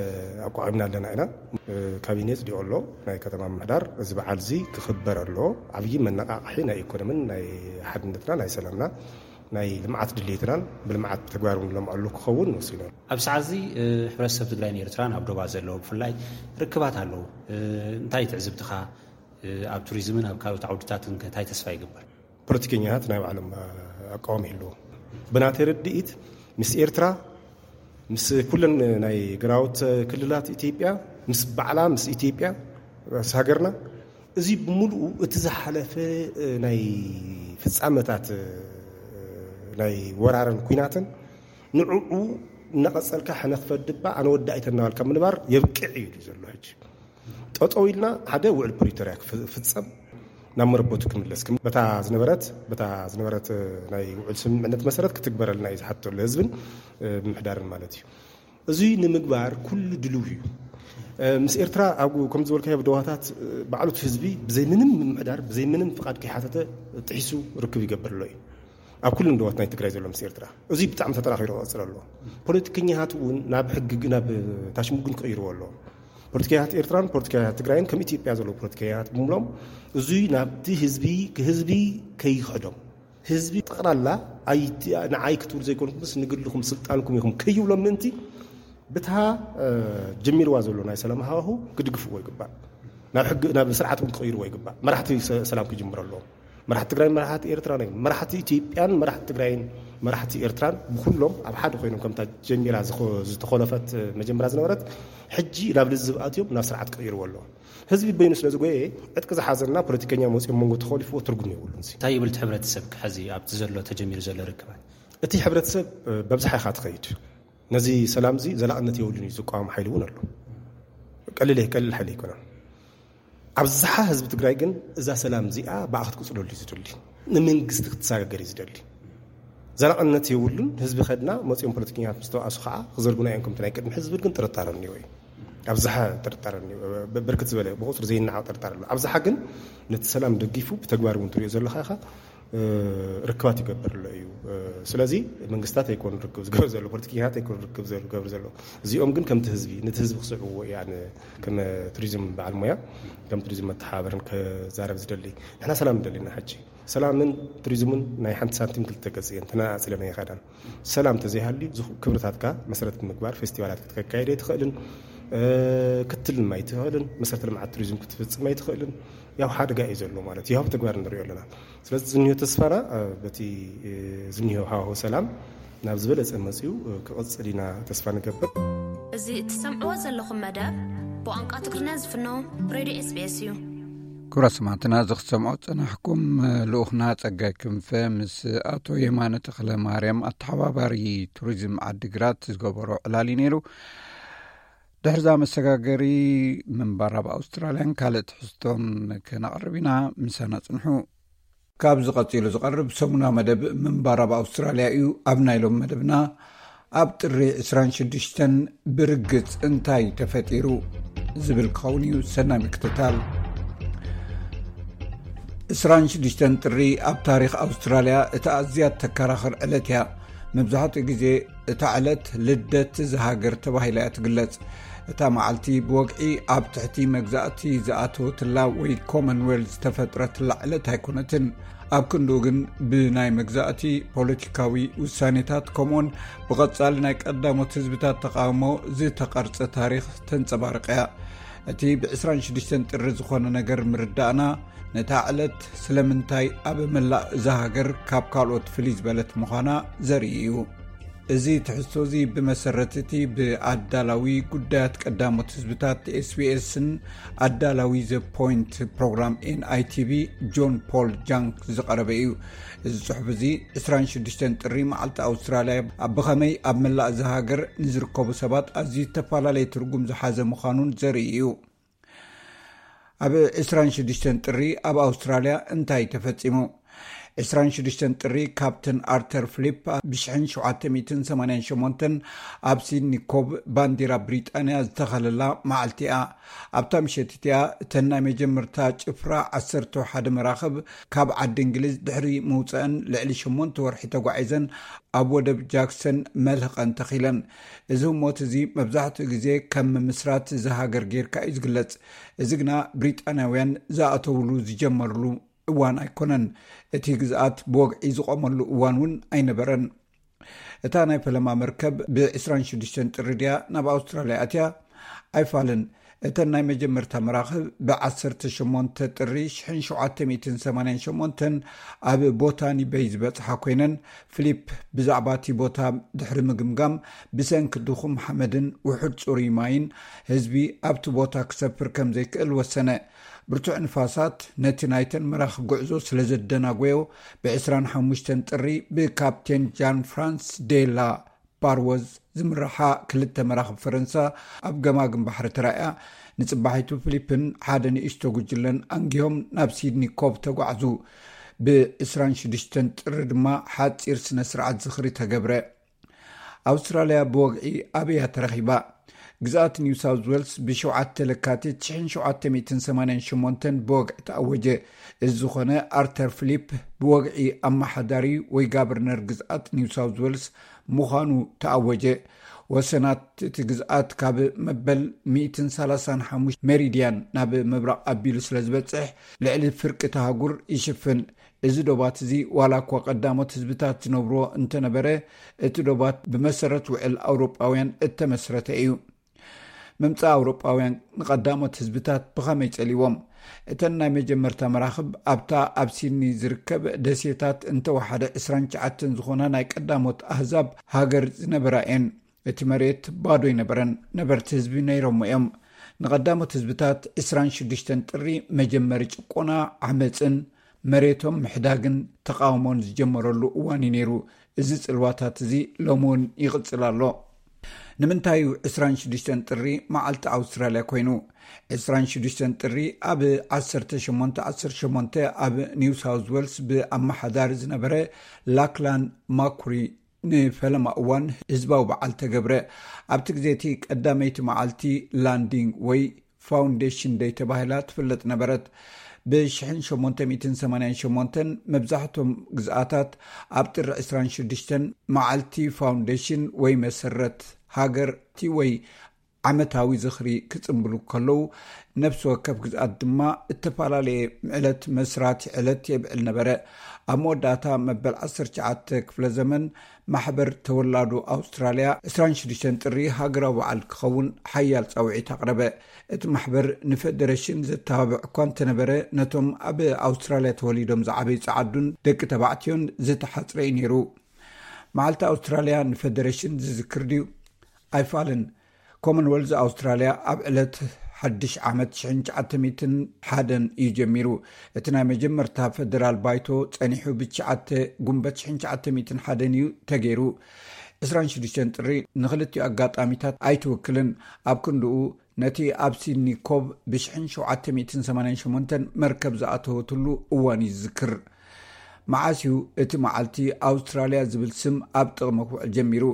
ኣቋቒምና ኣለና ኢና። እ፣ ካቢኔ ጽዲቑ ኣሎ፣ ናይ ከተማ ምምሕዳር። እዚ በዓል እዚ ክኽበር ኣሎ። ዓብዪ መነቓቕሒ ናይ ኢኮኖምን ናይ ሓድነትና ናይ ሰላምና ናይ ልምዓት ድሌትናን ብልምዓት ተግባር እውን ነልምዐሉ ክኸውን ወሲኑ ኣሎ። ኣብ ሰዓት እዚ፣ እ፣ ሕብረተሰብ ትግራይን ኤርትራን ኣብ ዶባት ዘለዉ ብፍላይ ርክባት ኣለዉ። እ፣ እንታይ ትዕዝብትኻ? እ፣ ኣብ ቱሪዝምን ኣብ ካልኦት ዓውድታትን ከ እንታይ ተስፋ ይግበር? ፖለቲከኛታት ናይ ባዕሎም፣ እ፣ ኣቃውማ ይህልዎም። ብናተይ ርድኢት ምስ ኤርትራ፣ ምስ ኩለን ናይ ግራውት ክልላት ኢትዮጵያ፣ ምስ ባዕላ፣ ምስ ኢትዮጵያ፣ ምስ ሃገርና፣ እዚ ብምሉኡ እቲ ዝሓለፈ፣ እ፣ ናይ ፍጻመታት፣ እ፣ ናይ ወራርን ኲናትን ንዕኡ እናቐጸልካ ሕነ ክፈድባ ኣነ ወዲ ኣይተናባልካ ምንባር የብቅዕ እዩ ዘሎ። ሕጂ ጠጠው ኢልና ሓደ ውዕል ፕሪቶርያ ክፍ-፣ ክፍጸም ናብ መረበቱ ክምለስ ክም-፣ በታ ዝነበረት፣ በታ ዝነበረት፣ እ፣ ናይ ውዕል ስምምዕነት መሰረት ክትግበረልና እዩ ዝሓተሉ ህዝብን፣ እ፣ ምምሕዳርን ማለት እዩ። እዚ ንምግባር ኩሉ ድልው እዩ። እ፣ ምስ ኤርትራ ኣብ፣ ከም ዝበልካዮ፣ ኣብ ደዋታት፣ እ፣ ባዕሉ እቲ ህዝቢ ብዘይ ምንም ምምሕዳር፣ ብዘይ ምንም ፍቓድ ከይሓተተ ጥሒሱ ርክብ ይገብር ኣሎ እዩ። ኣብ ኩለን ደዋት ናይ ትግራይ ዘሎ ምስ ኤርትራ። እዚ ብጣዕሚ ተጠናኺሩ ክቐጽል ኣለዎ። ፖለቲከኛታት እውን ናብ ሕጊ፣ ናብ ታሽሙግን ክቕይርዎ ኣለዎ። ፖለቲከኛታት ኤርትራን ፖለቲከኛታት ትግራይን ከም ኢትዮጵያ ዘለዉ ፖለቲከኛታት ብምሎም እዙይ ናብቲ ህዝቢ፣ ህዝቢ ከይኽሕዶም፣ ህዝቢ ጠቕላላ ኣይ-፣ ንዓይ ክትብሉ ዘይኮንኩምስ ንግልኹም ስልጣንኩም ኢኹም ከይብሎም ምእንቲ ብታ፣ እ፣ ጀሚርዋ ዘሎ ናይ ሰላም ሃዋሁ ክድግፍዎ ይግባእ። ናብ ሕጊ፣ ናብ ስርዓት እውን ክቕይርዎ ይግባእ። መራሕቲ ሰ-፣ ሰላም ክጅምሩ ኣለዎም። መራሕቲ ትግራይን መራሕቲ ኤርትራን እዮም። መራሕቲ ኢትዮጵያን መራሕቲ ትግራይን መራሕቲ ኤርትራን ብኩሎም ኣብ ሓደ ኮይኖም ከምታ ጀሚራ ዝኸ-፣ ዝተኾለፈት መጀመርያ ዝነበረት ሕጂ ናብ ልዝብ ኣትዮም ናብ ስርዓት ክቕይርዎ ኣለዎም። ህዝቢ በይኑ ስለ ዝጎየ፣ ዕጥቂ ዝሓዘና ፖለቲከኛ መፂኦም መንጎ ተኾሊፍዎ ትርጉም የብሉን። እንታይ ይብል እቲ ሕብረተሰብ ሕዚ ኣብቲ ዘሎ ተጀሚሩ ዘሎ ርክባት? እቲ ሕብረተሰብ በብዝሓ ኢኻ ትኸይድ። ነዚ ሰላም እዚ ዘላቕነት የብሉን እዩ ዝቃወም ሓይሊ እውን ኣሎ። ቀሊል ቀሊል ሓይሊ ኣይኮነን። ኣብዝሓ ህዝቢ ትግራይ ግን እዛ ሰላም እዚኣ ብኣ ክትቅፅለሉ እዩ ዝደሊ፣ ንመንግስቲ ክትሰጋገር እዩ ዝደሊ። ዘላቕነት የብሉን። ህዝቢ ከድና መፂኦም ፖለቲከኛታት ምስ ተባእሱ ከዓ ክዘርጉና እዮም ከምቲ ናይ ቅድሚ ህዝቢ ግን ጥርጣረ እኒኦ እዩ። ኣብዝሓ ጥርጣረ እኒኦ። ብርክት ዝበለ ብቁፅሪ ዘይናዓቕ ጥርጣረ ኣሎ። ኣብዝሓ ግን ነቲ ሰላም ደጊፉ ብተግባር እውን ትሪኦ ዘለካ ኢኻ ርክባት ይገብር ኣሎ እዩ። ስለዚ መንግስታት ኣይኮኑ ርክብ ዝገብር ዘሎ፣ ፖለቲከኛታት ኣይኮኑ ርክብ ዝገብር ዘሎ። እዚኦም ግን ከምቲ ህዝቢ፣ ነቲ ህዝቢ ክስዕብዎ እየ ኣነ ከም ቱሪዝም በዓል ሞያ፣ ከም ቱሪዝም መተሓባበርን ክዛረብ ዝደሊ። ንሕና ሰላም ንደሊ ኢና። ሕጂ ሰላምን ቱሪዝምን ናይ ሓንቲ ሳንቲም ክልተ ገፅ እየን፣ ተነፃፂለን ኣይኸዳን። ሰላም ተዘይሃልዩ ክብርታትካ መሰረት ብምግባር ፌስቲቫላት ክትከካየድ ኣይትኽእልን፣ ክትልም ኣይትኽእልን፣ መሰረተ ልምዓት ቱሪዝም ክትፍፅም ኣይትኽእልን። ያው ሓደጋ እዩ ዘሎ ማለት እዩ። ያው ተግባር ንሪኦ ኣለና። ስለዚ ዝኒሆ ተስፋና በቲ ዝኒሆ ሃዋሁ ሰላም ናብ ዝበለፀ መፅዩ ክቕፅል ኢና ተስፋ ንገብር። እዚ እትሰምዕዎ ዘለኹም መደብ ብቋንቋ ትግርኛ ዝፍኖ ሬድዮ ኤስቢኤስ እዩ። ክቡራት ሰማዕትና፣ እዚ ክትሰምዖ ዝጸናሕኩም ልኡኽና ጸጋይ ክንፈ ምስ ኣቶ የማነ ተኽለ ማርያም፣ ኣተሓባባሪ ቱሪዝም ዓዲግራት፣ ዝገበሮ ዕላል እዩ ነይሩ። ድሕርዛ መሰጋገሪ ምንባር ኣብ ኣውስትራልያን ካልእ ትሕዝቶን ከነቕርብ ኢና። ምሳና ጽንሑ። ካብዚ ቀጺሉ ዝቐርብ ሰሙና መደብ ምንባር ኣብ ኣውስትራልያ እዩ። ኣብ ናይ ሎም መደብና፣ ኣብ ጥሪ ዕስራን ሽዱሽተን ብርግጽ እንታይ ተፈጢሩ ዝብል ክኸውን እዩ። ሰናይ ምክትታል። ዕስራን ሽዱሽተን ጥሪ ኣብ ታሪኽ ኣውስትራልያ እታ ኣዝያ ተከራኽር ዕለት እያ። መብዛሕትኡ ግዜ እታ ዕለት ልደት እዛ ሃገር ተባሂላ እያ ትግለጽ። እታ መዓልቲ ብወግዒ ኣብ ትሕቲ መግዛእቲ ዝኣተወትላ ወይ ኮመንዌልዝ ዝተፈጥረትላ ዕለት ኣይኮነትን። ኣብ ክንድኡ ግን ብናይ መግዛእቲ ፖለቲካዊ ውሳኔታት፣ ከምኡውን ብቐጻሊ ናይ ቀዳሞት ህዝብታት ተቓውሞ ዝተቐርጸ ታሪኽ ተንጸባርቕ እያ። እቲ ብ ዕስራን ሽዱሽተን ጥሪ ዝኾነ ነገር ምርዳእና፣ ነታ ዕለት ስለምንታይ ኣብ መላእ እዛ ሃገር ካብ ካልኦት ፍልይ ዝበለት ምዃና ዘርኢ እዩ። እዚ ትሕዝቶ እዚ ብመሰረት እቲ ብኣዳላዊ ጉዳያት ቀዳሞት ህዝብታት ኤስቢኤስን ኣዳላዊ ዘ ፖይንት ፕሮግራም ኤንኣይቲቪ ጆን ፖል ጃንክ ዝቐረበ እዩ። እዚ ጽሑፍ እዚ ዕስራን ሽዱሽተን ጥሪ መዓልቲ ኣውስትራልያ ኣብ ብኸመይ ኣብ መላእ እዛ ሃገር ንዝርከቡ ሰባት ኣዝዩ ዝተፈላለየ ትርጉም ዝሓዘ ምዃኑን ዘርኢ እዩ። ኣብ ዕስራን ሽዱሽተን ጥሪ ኣብ ኣውስትራልያ እንታይ ተፈጺሙ? ዕስራን ሽዱሽተን ጥሪ ካፕተን ኣርተር ፍሊፕ ብ ሽሕን ሸውዓተ ሚእትን ሰማንያን ሸሞንተን ኣብ ሲድኒ ኮብ ባንዲራ ብሪጣንያ ዝተኸለላ መዓልቲ እያ። ኣብታ ምሸት እቲኣ እተን ናይ መጀመርታ ጭፍራ ዓሰርተ ሓደ መራኽብ ካብ ዓዲ እንግሊዝ ድሕሪ ምውፀአን ልዕሊ ሸሞንተ ወርሒ ተጓዒዘን ኣብ ወደብ ጃክሰን መልህቐን ተኺለን። እዚ ህሞት እዚ መብዛሕትኡ ግዜ ከም ምምስራት እዛ ሃገር ጌርካ እዩ ዝግለጽ። እዚ ግና ብሪጣንያውያን ዝኣተውሉ ዝጀመርሉ እዋን ኣይኮነን። እቲ ግዝኣት ብወግዒ ዝቖመሉ እዋን እውን ኣይነበረን። እታ ናይ ፈለማ መርከብ ብ ዕስራን ሽዱሽተን ጥሪ ድያ ናብ ኣውስትራልያ ኣትያ? ኣይፋልን። እተን ናይ መጀመርታ መራኽብ ብ ዓሰርተ ሸሞንተ ጥሪ ሽሕን ሸውዓተ ሚእትን ሰማንያን ሸሞንተን ኣብ ቦታኒ በይ ዝበጽሓ ኮይነን፣ ፍሊፕ ብዛዕባ እቲ ቦታ ድሕሪ ምግምጋም፣ ብሰንኪ ድኹም ሓመድን ውሑድ ጽሩይ ማይን ህዝቢ ኣብቲ ቦታ ክሰፍር ከም ዘይክእል ወሰነ። ብርቱዕ ንፋሳት ነቲ ናይተን መራኽብ ጉዕዞ ስለ ዘደናጎዮ፣ ብ ዕስራን ሓሙሽተን ጥሪ ብካፕቴን ጃን ፍራንስ ዴላ ፓርወዝ ዝምርሓ ክልተ መራኽብ ፈረንሳ ኣብ ገማግም ባሕሪ ተራእያ፣ ንጽባሒቱ ፍሊፕን ሓደ ንእሽቶ ጉጅለን ኣንጊሆም ናብ ሲድኒ ኮብ ተጓዕዙ። ብ ዕስራን ሽዱሽተን ጥሪ ድማ ሓጺር ስነ ስርዓት ዝኽሪ ተገብረ። ኣውስትራልያ ብወግዒ ኣበይ እያ ተረኺባ? ግዝኣት ኒው ሳውዝ ዌልስ ብ ሸውዓተ ለካቲት ሽሕን ሸውዓተ ሚእትን ሰማንያን ሸሞንተን ብወግዒ ተኣወጀ። እዚ ዝኾነ ኣርተር ፍሊፕ ብወግዒ ኣመሓዳሪ ወይ ጋቨርነር ግዝኣት ኒው ሳውዝ ዌልስ ምዃኑ ተኣወጀ። ወሰናት እቲ ግዝኣት ካብ መበል ሚእትን ሰላሳን ሓሙሽተ ሜሪድያን ናብ ምብራቕ ኣቢሉ ስለ ዝበጽሕ፣ ልዕሊ ፍርቂ እቲ ኣህጉር ይሽፍን። እዚ ዶባት እዚ ዋላ እኳ ቀዳሞት ህዝብታት ዝነብርዎ እንተነበረ፣ እቲ ዶባት ብመሰረት ውዕል ኣውሮጳውያን እተመስረተ እዩ። ምምጻእ ኣውሮጳውያን ንቐዳሞት ህዝብታት ብኸመይ ጸልዎም? እተን ናይ መጀመርታ መራኽብ ኣብታ ኣብ ሲድኒ ዝርከብ ደሴታት እንተወሓደ ዕስራን ትሽዓተን ዝኾና ናይ ቀዳሞት ኣህዛብ ሃገር ዝነበራ እየን። እቲ መሬት ባዶ ኣይነበረን። ነበርቲ ህዝቢ ነይሮሞ እዮም። ንቐዳሞት ህዝብታት ዕስራን ሽዱሽተን ጥሪ መጀመሪ ጭቆና፣ ዓመፅን መሬቶም ምሕዳግን ተቃውሞን ዝጀመረሉ እዋን እዩ ነይሩ። እዚ ጽልዋታት እዚ ሎሚ እውን ይቕጽል ኣሎ። ንምንታይ እዩ ዕስራን ሽዱሽተን ጥሪ መዓልቲ ኣውስትራልያ ኮይኑ? ዕስራን ሽዱሽተን ጥሪ ኣብ ዓሰርተ ሸሞንተ ዓሰርተ ሸሞንተ ኣብ ኒው ሳውዝ ዌልስ ብኣመሓዳሪ ዝነበረ ላክላን ማኩሪ ንፈለማ እዋን ህዝባዊ በዓል ተገብረ። ኣብቲ ግዜ እቲ ቀዳመይቲ መዓልቲ ላንዲንግ ወይ ፋውንዴሽን ደይ ተባሂላ ትፍለጥ ነበረት። ብ ሸሞንተ ሚእትን ሰማንያን ሸሞንተን መብዛሕቶም ግዝኣታት ኣብ ጥሪ ዕስራን ሽዱሽተን መዓልቲ ፋውንዴሽን ወይ መሰረት ሃገርቲ ወይ ዓመታዊ ዝኽሪ ክጽንብሉ ከለዉ፣ ነፍሲ ወከፍ ግዝኣት ድማ እተፈላለየ ዕለት መስራቲ ዕለት የብዕል ነበረ። ኣብ መወዳእታ መበል ዓሰርተ ትሽዓተ ክፍለ ዘመን ማሕበር ተወላዶ ኣውስትራልያ ዕስራን ሽዱሽተን ጥሪ ሃገራዊ በዓል ክኸውን ሓያል ጻውዒት ኣቕረበ። እቲ ማሕበር ንፈደረሽን ዘተባብዕ እኳ እንተነበረ፣ ነቶም ኣብ ኣውስትራልያ ተወሊዶም ዝዓበዩ ጸዓዱን ደቂ ተባዕትዮን ዝተሓጽረ እዩ ነይሩ። መዓልቲ ኣውስትራልያ ንፈደረሽን ዝዝክር ድዩ? ኣይፋልን። ኮመንወልዝ ኣውስትራልያ ኣብ ዕለት ሓድሽ ዓመት ሸሕን ትሽዓተ ሚእትን ሓደን እዩ ጀሚሩ። እቲ ናይ መጀመርታ ፈደራል ባይቶ ጸኒሑ ብትሽዓተ ጉንበት ሸሕን ትሽዓተ ሚእትን ሓደን እዩ ተገይሩ። ዕስራን ሽዱሽተን ጥሪ ንኽልቲኡ ኣጋጣሚታት ኣይትውክልን። ኣብ ክንድኡ ነቲ ኣብ ሲድኒ ኮብ ብሸሕን ሸውዓተ ሚእትን ሰማንያን ሸሞንተን መርከብ ዝኣተወትሉ እዋን እዩ ዝዝክር። መዓስ እዩ እቲ መዓልቲ ኣውስትራልያ ዝብል ስም ኣብ ጥቕሚ ክውዕል ጀሚሩ?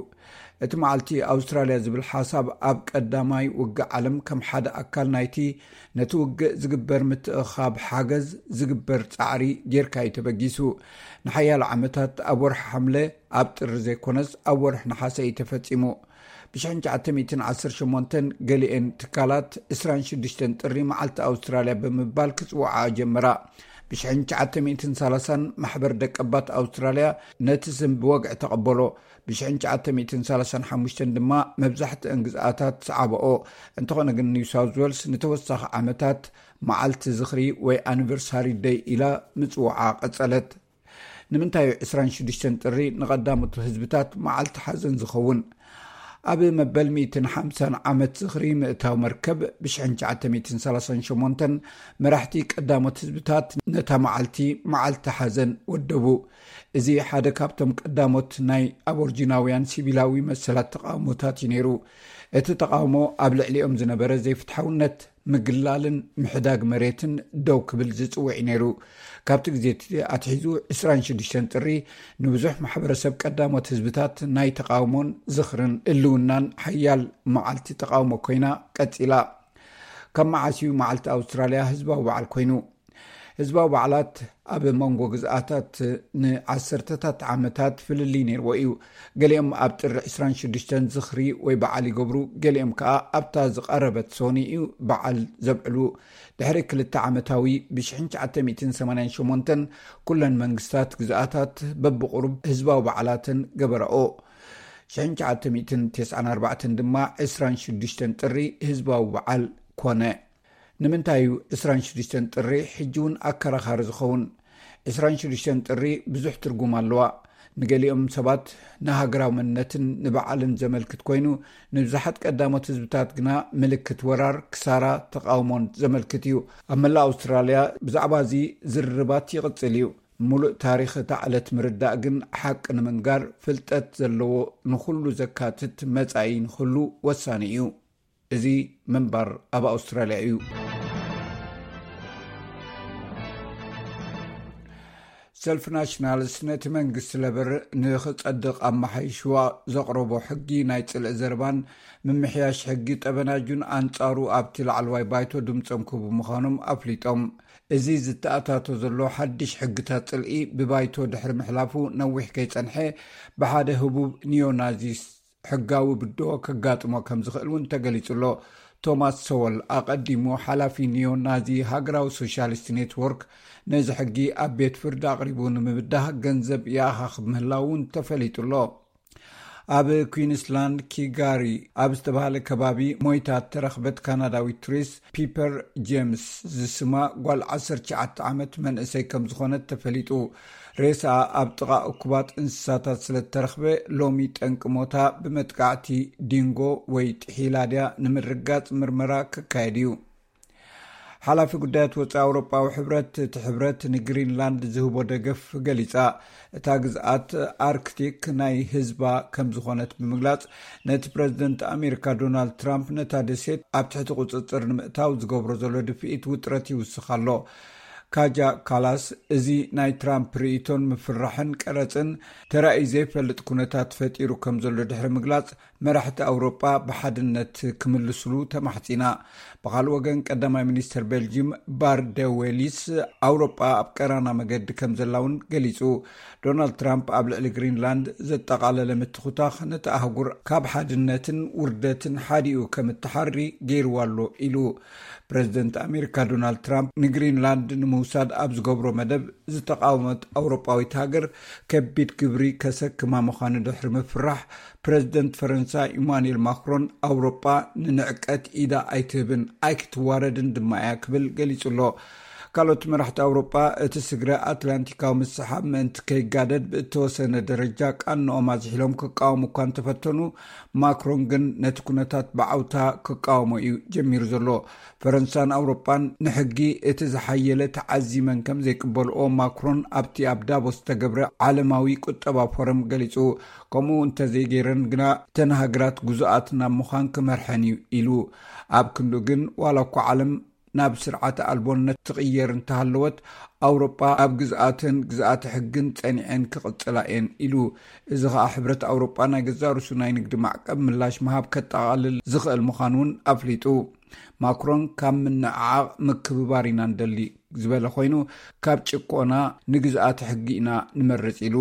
እቲ መዓልቲ ኣውስትራልያ ዝብል ሓሳብ ኣብ ቀዳማይ ውግእ ዓለም ከም ሓደ ኣካል ናይቲ ነቲ ውግእ ዝግበር ምትእኻብ ሓገዝ ዝግበር ጻዕሪ ጌርካ እዩ ተበጊሱ። ንሓያሎ ዓመታት ኣብ ወርሒ ሓምለ ኣብ ጥሪ ዘይኮነስ ኣብ ወርሒ ነሓሰ እዩ ተፈጺሙ። ብ ትሽዓተ ሚእትን ዓሰርተ ሸሞንተን ገሊኤን ትካላት ዕስራን ሽዱሽተን ጥሪ መዓልቲ ኣውስትራልያ ብምባል ክጽውዓ ጀመራ። ብ ትሽዓተ ሚእትን ሰላሳን ማሕበር ደቀባት ኣውስትራልያ ነቲ ስም ብወግዒ ተቐበሎ። ብ ትሽዓተ ሚእትን ሰላሳን ሓሙሽተን ድማ መብዛሕትአን ግዝኣታት ሰዓበኦ። እንተኾነ ግን ኒው ሳውዝ ዌልስ ንተወሳኺ ዓመታት መዓልቲ ዝኽሪ ወይ ኣኒቨርሳሪ ደይ ኢላ ምጽውዓ ቀጸለት። ንምንታይ እዩ ዕስራን ሽዱሽተን ጥሪ ንቐዳሞት ህዝብታት መዓልቲ ሓዘን ዝኸውን? ኣብ መበል ሚእትን ሓምሳን ዓመት ዝኽሪ ምእታው መርከብ ብ ትሽዓተ ሚእትን ሰላሳን ሸሞንተን መራሕቲ ቀዳሞት ህዝብታት ነታ መዓልቲ መዓልቲ ሓዘን ወደቡ። እዚ ሓደ ካብቶም ቀዳሞት ናይ ኣቦርጂናውያን ሲቪላዊ መሰላት ተቃውሞታት እዩ ነይሩ። እቲ ተቃውሞ ኣብ ልዕሊኦም ዝነበረ ዘይፍትሓውነት፣ ምግላልን ምሕዳግ መሬትን ደው ክብል ዝጽውዕ እዩ ነይሩ። ካብቲ ግዜ እቲ ኣትሒዙ ዕስራን ሽዱሽተን ጥሪ ንብዙሕ ማሕበረሰብ ቀዳሞት ህዝብታት ናይ ተቃውሞን ዝኽርን ህልውናን ሓያል መዓልቲ ተቃውሞ ኮይና ቀጺላ። ካብ መዓስ እዩ መዓልቲ ኣውስትራልያ ህዝባዊ በዓል ኮይኑ? ህዝባዊ በዓላት ኣብ መንጎ ግዝኣታት ንዓሰርተታት ዓመታት ፍልልይ ነይርዎ እዩ። ገሊኦም ኣብ ጥሪ ዕስራን ሽዱሽተን ዝኽሪ ወይ በዓል ይገብሩ፣ ገሊኦም ከኣ ኣብታ ዝቐረበት ሶኒ እዩ በዓል ዘብዕሉ። ድሕሪ ክልተ ዓመታዊ ብ ትሽዓተ ሚእትን ሰማንያን ሸሞንተን ኩለን መንግስታት ግዝኣታት በብቑሩብ ህዝባዊ በዓላተን ገበራኦ። ትሽዓተ ሚእትን ተስዓን ኣርባዕተን ድማ ዕስራን ሽዱሽተን ጥሪ ህዝባዊ በዓል ኮነ። ንምንታይ እዩ ዕስራን ሽዱሽተን ጥሪ ሕጂ እውን ኣከራኻሪ ዝኸውን? ዕስራን ሽዱሽተን ጥሪ ብዙሕ ትርጉም ኣለዋ። ንገሊኦም ሰባት ንሃገራዊ መንነትን ንበዓልን ዘመልክት ኮይኑ፣ ንብዙሓት ቀዳሞት ህዝብታት ግና ምልክት ወራር፣ ክሳራ፣ ተቃውሞን ዘመልክት እዩ። ኣብ መላእ ኣውስትራልያ ብዛዕባ እዚ ዝርርባት ይቕጽል እዩ። ምሉእ ታሪኽ እታ ዕለት ምርዳእ ግን ሓቂ ንምንጋር ፍልጠት ዘለዎ ንኹሉ ዘካትት መጻኢ ንኽህሉ ወሳኒ እዩ። እዚ ምንባር ኣብ ኣውስትራልያ እዩ። ሰልፊ ናሽናልስ ነቲ መንግስቲ ለበር ንኽጸድቕ ኣመሓይሽዋ ዘቕረቦ ሕጊ ናይ ጽልኢ ዘረባን ምምሕያሽ ሕጊ ጠበናጁን ኣንጻሩ ኣብቲ ላዕለዋይ ባይቶ ድምጾም ክህቡ ምዃኖም ኣፍሊጦም። እዚ ዝተኣታቶ ዘሎ ሓድሽ ሕግታት ጽልኢ ብባይቶ ድሕሪ ምሕላፉ ነዊሕ ከይጸንሐ ብሓደ ህቡብ ኒዮናዚስ ሕጋዊ ብድሆ ከጋጥሞ ከም ዝኽእል እውን ተገሊጹ ኣሎ። ቶማስ ሰወል ኣቐዲሙ ሓላፊ ኒዮ ናዚ ሃገራዊ ሶሻሊስት ኔትወርክ ነዚ ሕጊ ኣብ ቤት ፍርዲ ኣቕሪቡ ንምብዳህ ገንዘብ ይኣኻኽብ ምህላው እውን ተፈሊጡ ኣሎ። ኣብ ኩዊንስላንድ ኪጋሪ ኣብ ዝተባህለ ከባቢ ሞይታ ተረኽበት ካናዳዊት ቱሪስት ፒፐር ጄምስ ዝስማ ጓል ዓሰርተ ትሽዓተ ዓመት መንእሰይ ከም ዝኾነት ተፈሊጡ። ሬሳ ኣብ ጥቓ እኩባት እንስሳታት ስለ ተረኽበ፣ ሎሚ ጠንቂ ሞታ ብመጥቃዕቲ ዲንጎ ወይ ጥሒላ ድያ ንምርጋጽ ምርመራ ክካየድ እዩ። ሓላፊ ጉዳያት ወጻኢ ኣውሮጳዊ ሕብረት፣ እቲ ሕብረት ንግሪንላንድ ዝህቦ ደገፍ ገሊጻ። እታ ግዝኣት ኣርክቲክ ናይ ህዝባ ከም ዝኾነት ብምግላጽ፣ ነቲ ፕረዚደንት ኣሜሪካ ዶናልድ ትራምፕ ነታ ደሴት ኣብ ትሕቲ ቁጽጽር ንምእታው ዝገብሮ ዘሎ ድፍኢት ውጥረት ይውስኽ ኣሎ። ካጃ ካላስ፣ እዚ ናይ ትራምፕ ርእይቶን ምፍርራሕን ቀረጽን ተራእዩ ዘይፈልጥ ኩነታት ፈጢሩ ከም ዘሎ ድሕሪ ምግላጽ፣ መራሕቲ ኣውሮጳ ብሓድነት ክምልስሉ ተማሕጺና። ብኻልእ ወገን፣ ቀዳማይ ሚኒስትር ቤልጂም ባርደዌሊስ ኣውሮጳ ኣብ ቀራና መገዲ ከም ዘላ እውን ገሊጹ። ዶናልድ ትራምፕ ኣብ ልዕሊ ግሪንላንድ ዘጠቓለለ ምትኹታኽ ነቲ ኣህጉር ካብ ሓድነትን ውርደትን ሓዲኡ ከም እተሓሪ ገይርዋ ኣሎ ኢሉ። ፕረዚደንት ኣሜሪካ ዶናልድ ትራምፕ ንግሪንላንድ ንምውሳድ ኣብ ዝገብሮ መደብ ዝተቃወመት ኣውሮጳዊት ሃገር ከቢድ ግብሪ ከሰክማ ምዃኑ ድሕሪ ምፍራሕ፣ ፕረዚደንት ፈረንሳ ኢማኑኤል ማክሮን ኣውሮጳ ንንዕቀት ኢዳ ኣይትህብን ኣይክትዋረድን ድማ እያ ክብል ገሊጹ ኣሎ። ካልኦት መራሕቲ ኣውሮጳ እቲ ስግረ ኣትላንቲካዊ ምስሓብ ምእንቲ ከይጋደድ ብእተወሰነ ደረጃ ቃንኦም ኣዝሒሎም ክቃወሙ እኳ እንተፈተኑ፣ ማክሮን ግን ነቲ ኩነታት ብዓውታ ክቃወሞ እዩ ጀሚሩ ዘሎ። ፈረንሳን ኣውሮጳን ንሕጊ እቲ ዝሓየለ ተዓዚመን ከም ዘይቅበልኦ ማክሮን ኣብቲ ኣብ ዳቮስ ዝተገብረ ዓለማዊ ቁጠባ ፎረም ገሊጹ። ከምኡ እንተዘይገይረን ግና፣ እተን ሃገራት ግዙኣት ናብ ምዃን ክመርሐን እዩ ኢሉ። ኣብ ክንዱ ግን፣ ዋላ እኳ ዓለም ናብ ስርዓተ ኣልቦነት ትቕየር እንተሃለወት፣ ኣውሮጳ ኣብ ግዝኣትን ግዝኣተ ሕግን ጸኒዐን ክቕጽላ እየን ኢሉ። እዚ ኸኣ ሕብረት ኣውሮጳ ናይ ገዛእ ርእሱ ናይ ንግዲ ማዕቀብ ምላሽ ምሃብ ከጠቓልል ዝኽእል ምዃኑ እውን ኣፍሊጡ። ማክሮን፣ ካብ ምንዕዓቕ ምክብባር ኢና ንደሊ ዝበለ ኮይኑ፣ ካብ ጭቆና ንግዝኣተ ሕጊ ኢና ንመርጽ ኢሉ።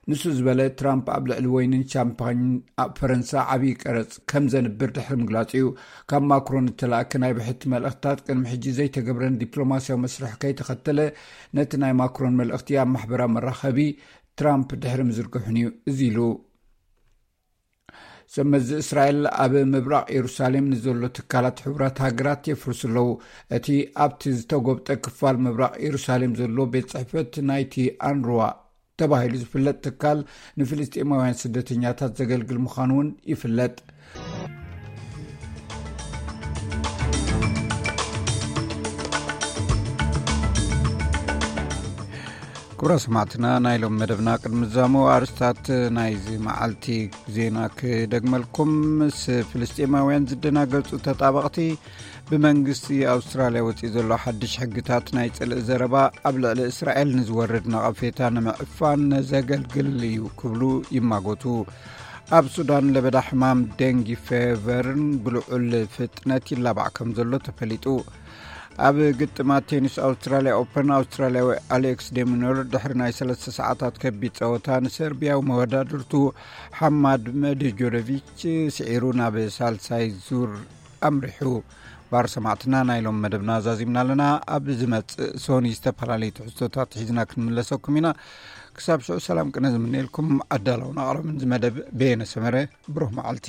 ንሱ ዝበለ ትራምፕ ኣብ ልዕሊ ወይንን ሻምፓኝን ኣብ ፈረንሳ ዓብዪ ቀረጽ ከም ዘንብር ድሕሪ ምግላጹ እዩ። ካብ ማክሮን እተላእከ ናይ ብሕቲ መልእኽትታት ቅድሚ ሕጂ ዘይተገብረን ዲፕሎማስያዊ መስርሕ ከይተኸተለ፣ ነቲ ናይ ማክሮን መልእኽቲ ኣብ ማሕበራዊ መራኸቢ ትራምፕ ድሕሪ ምዝርግሑን እዩ እዚ ኢሉ። ሰመዚ እስራኤል ኣብ ምብራቕ የሩሳሌም ንዘሎ ትካላት ሕቡራት ሃገራት የፍርሱ ኣለዉ። እቲ ኣብቲ ዝተጎብጠ ክፋል ምብራቕ የሩሳሌም ዘሎ ቤት ጽሕፈት ናይቲ ኣንሩዋ ተባሂሉ ዝፍለጥ ትካል ንፍልስጤማውያን ስደተኛታት ዘገልግል ምዃኑ እውን ይፍለጥ። ክቡራ ሰማዕትና፣ ናይ ሎም መደብና ቅድሚ ዛሞ ኣርስታት ናይዚ መዓልቲ ዜና ክደግመልኩም። ምስ ፍልስጤማውያን ዝደናገጹ ተጣበቕቲ፣ ብመንግስቲ ኣውስትራልያ ወጺኡ ዘሎ ሓድሽ ሕግታት ናይ ጽልኢ ዘረባ ኣብ ልዕሊ እስራኤል ንዝወርድ ነቐፌታ ንምዕፋን ዘገልግል እዩ ክብሉ ይማጎቱ። ኣብ ሱዳን ለበዳ ሕማም ደንጊ ፌቨርን ብልዑል ፍጥነት ይላባዕ ከም ዘሎ ተፈሊጡ። ኣብ ግጥማት ቴኒስ ኣውስትራልያ ኦፐን፣ ኣውስትራልያዊ ኣሌክስ ዴሚኖር ድሕሪ ናይ ሰለስተ ሰዓታት ከቢድ ጸወታ ንሰርቢያዊ መወዳድርቱ ሓማድ መድጆዶቪች ስዒሩ ናብ ሳልሳይ ዙር ኣምሪሑ። ባር ሰማዕትና፣ ናይ ሎም መደብና ዛዚምና ኣለና። ኣብ ዝመጽእ ሶኒ ዝተፈላለዩ ትሕዝቶታት ሒዝና ክንምለሰኩም ኢና። ክሳብ ሽዑ ሰላም ቅነ ዝምነየልኩም ኣዳለውን ኣቕረብን ዝመደብ በየነ ሰመረ። ብሩህ መዓልቲ።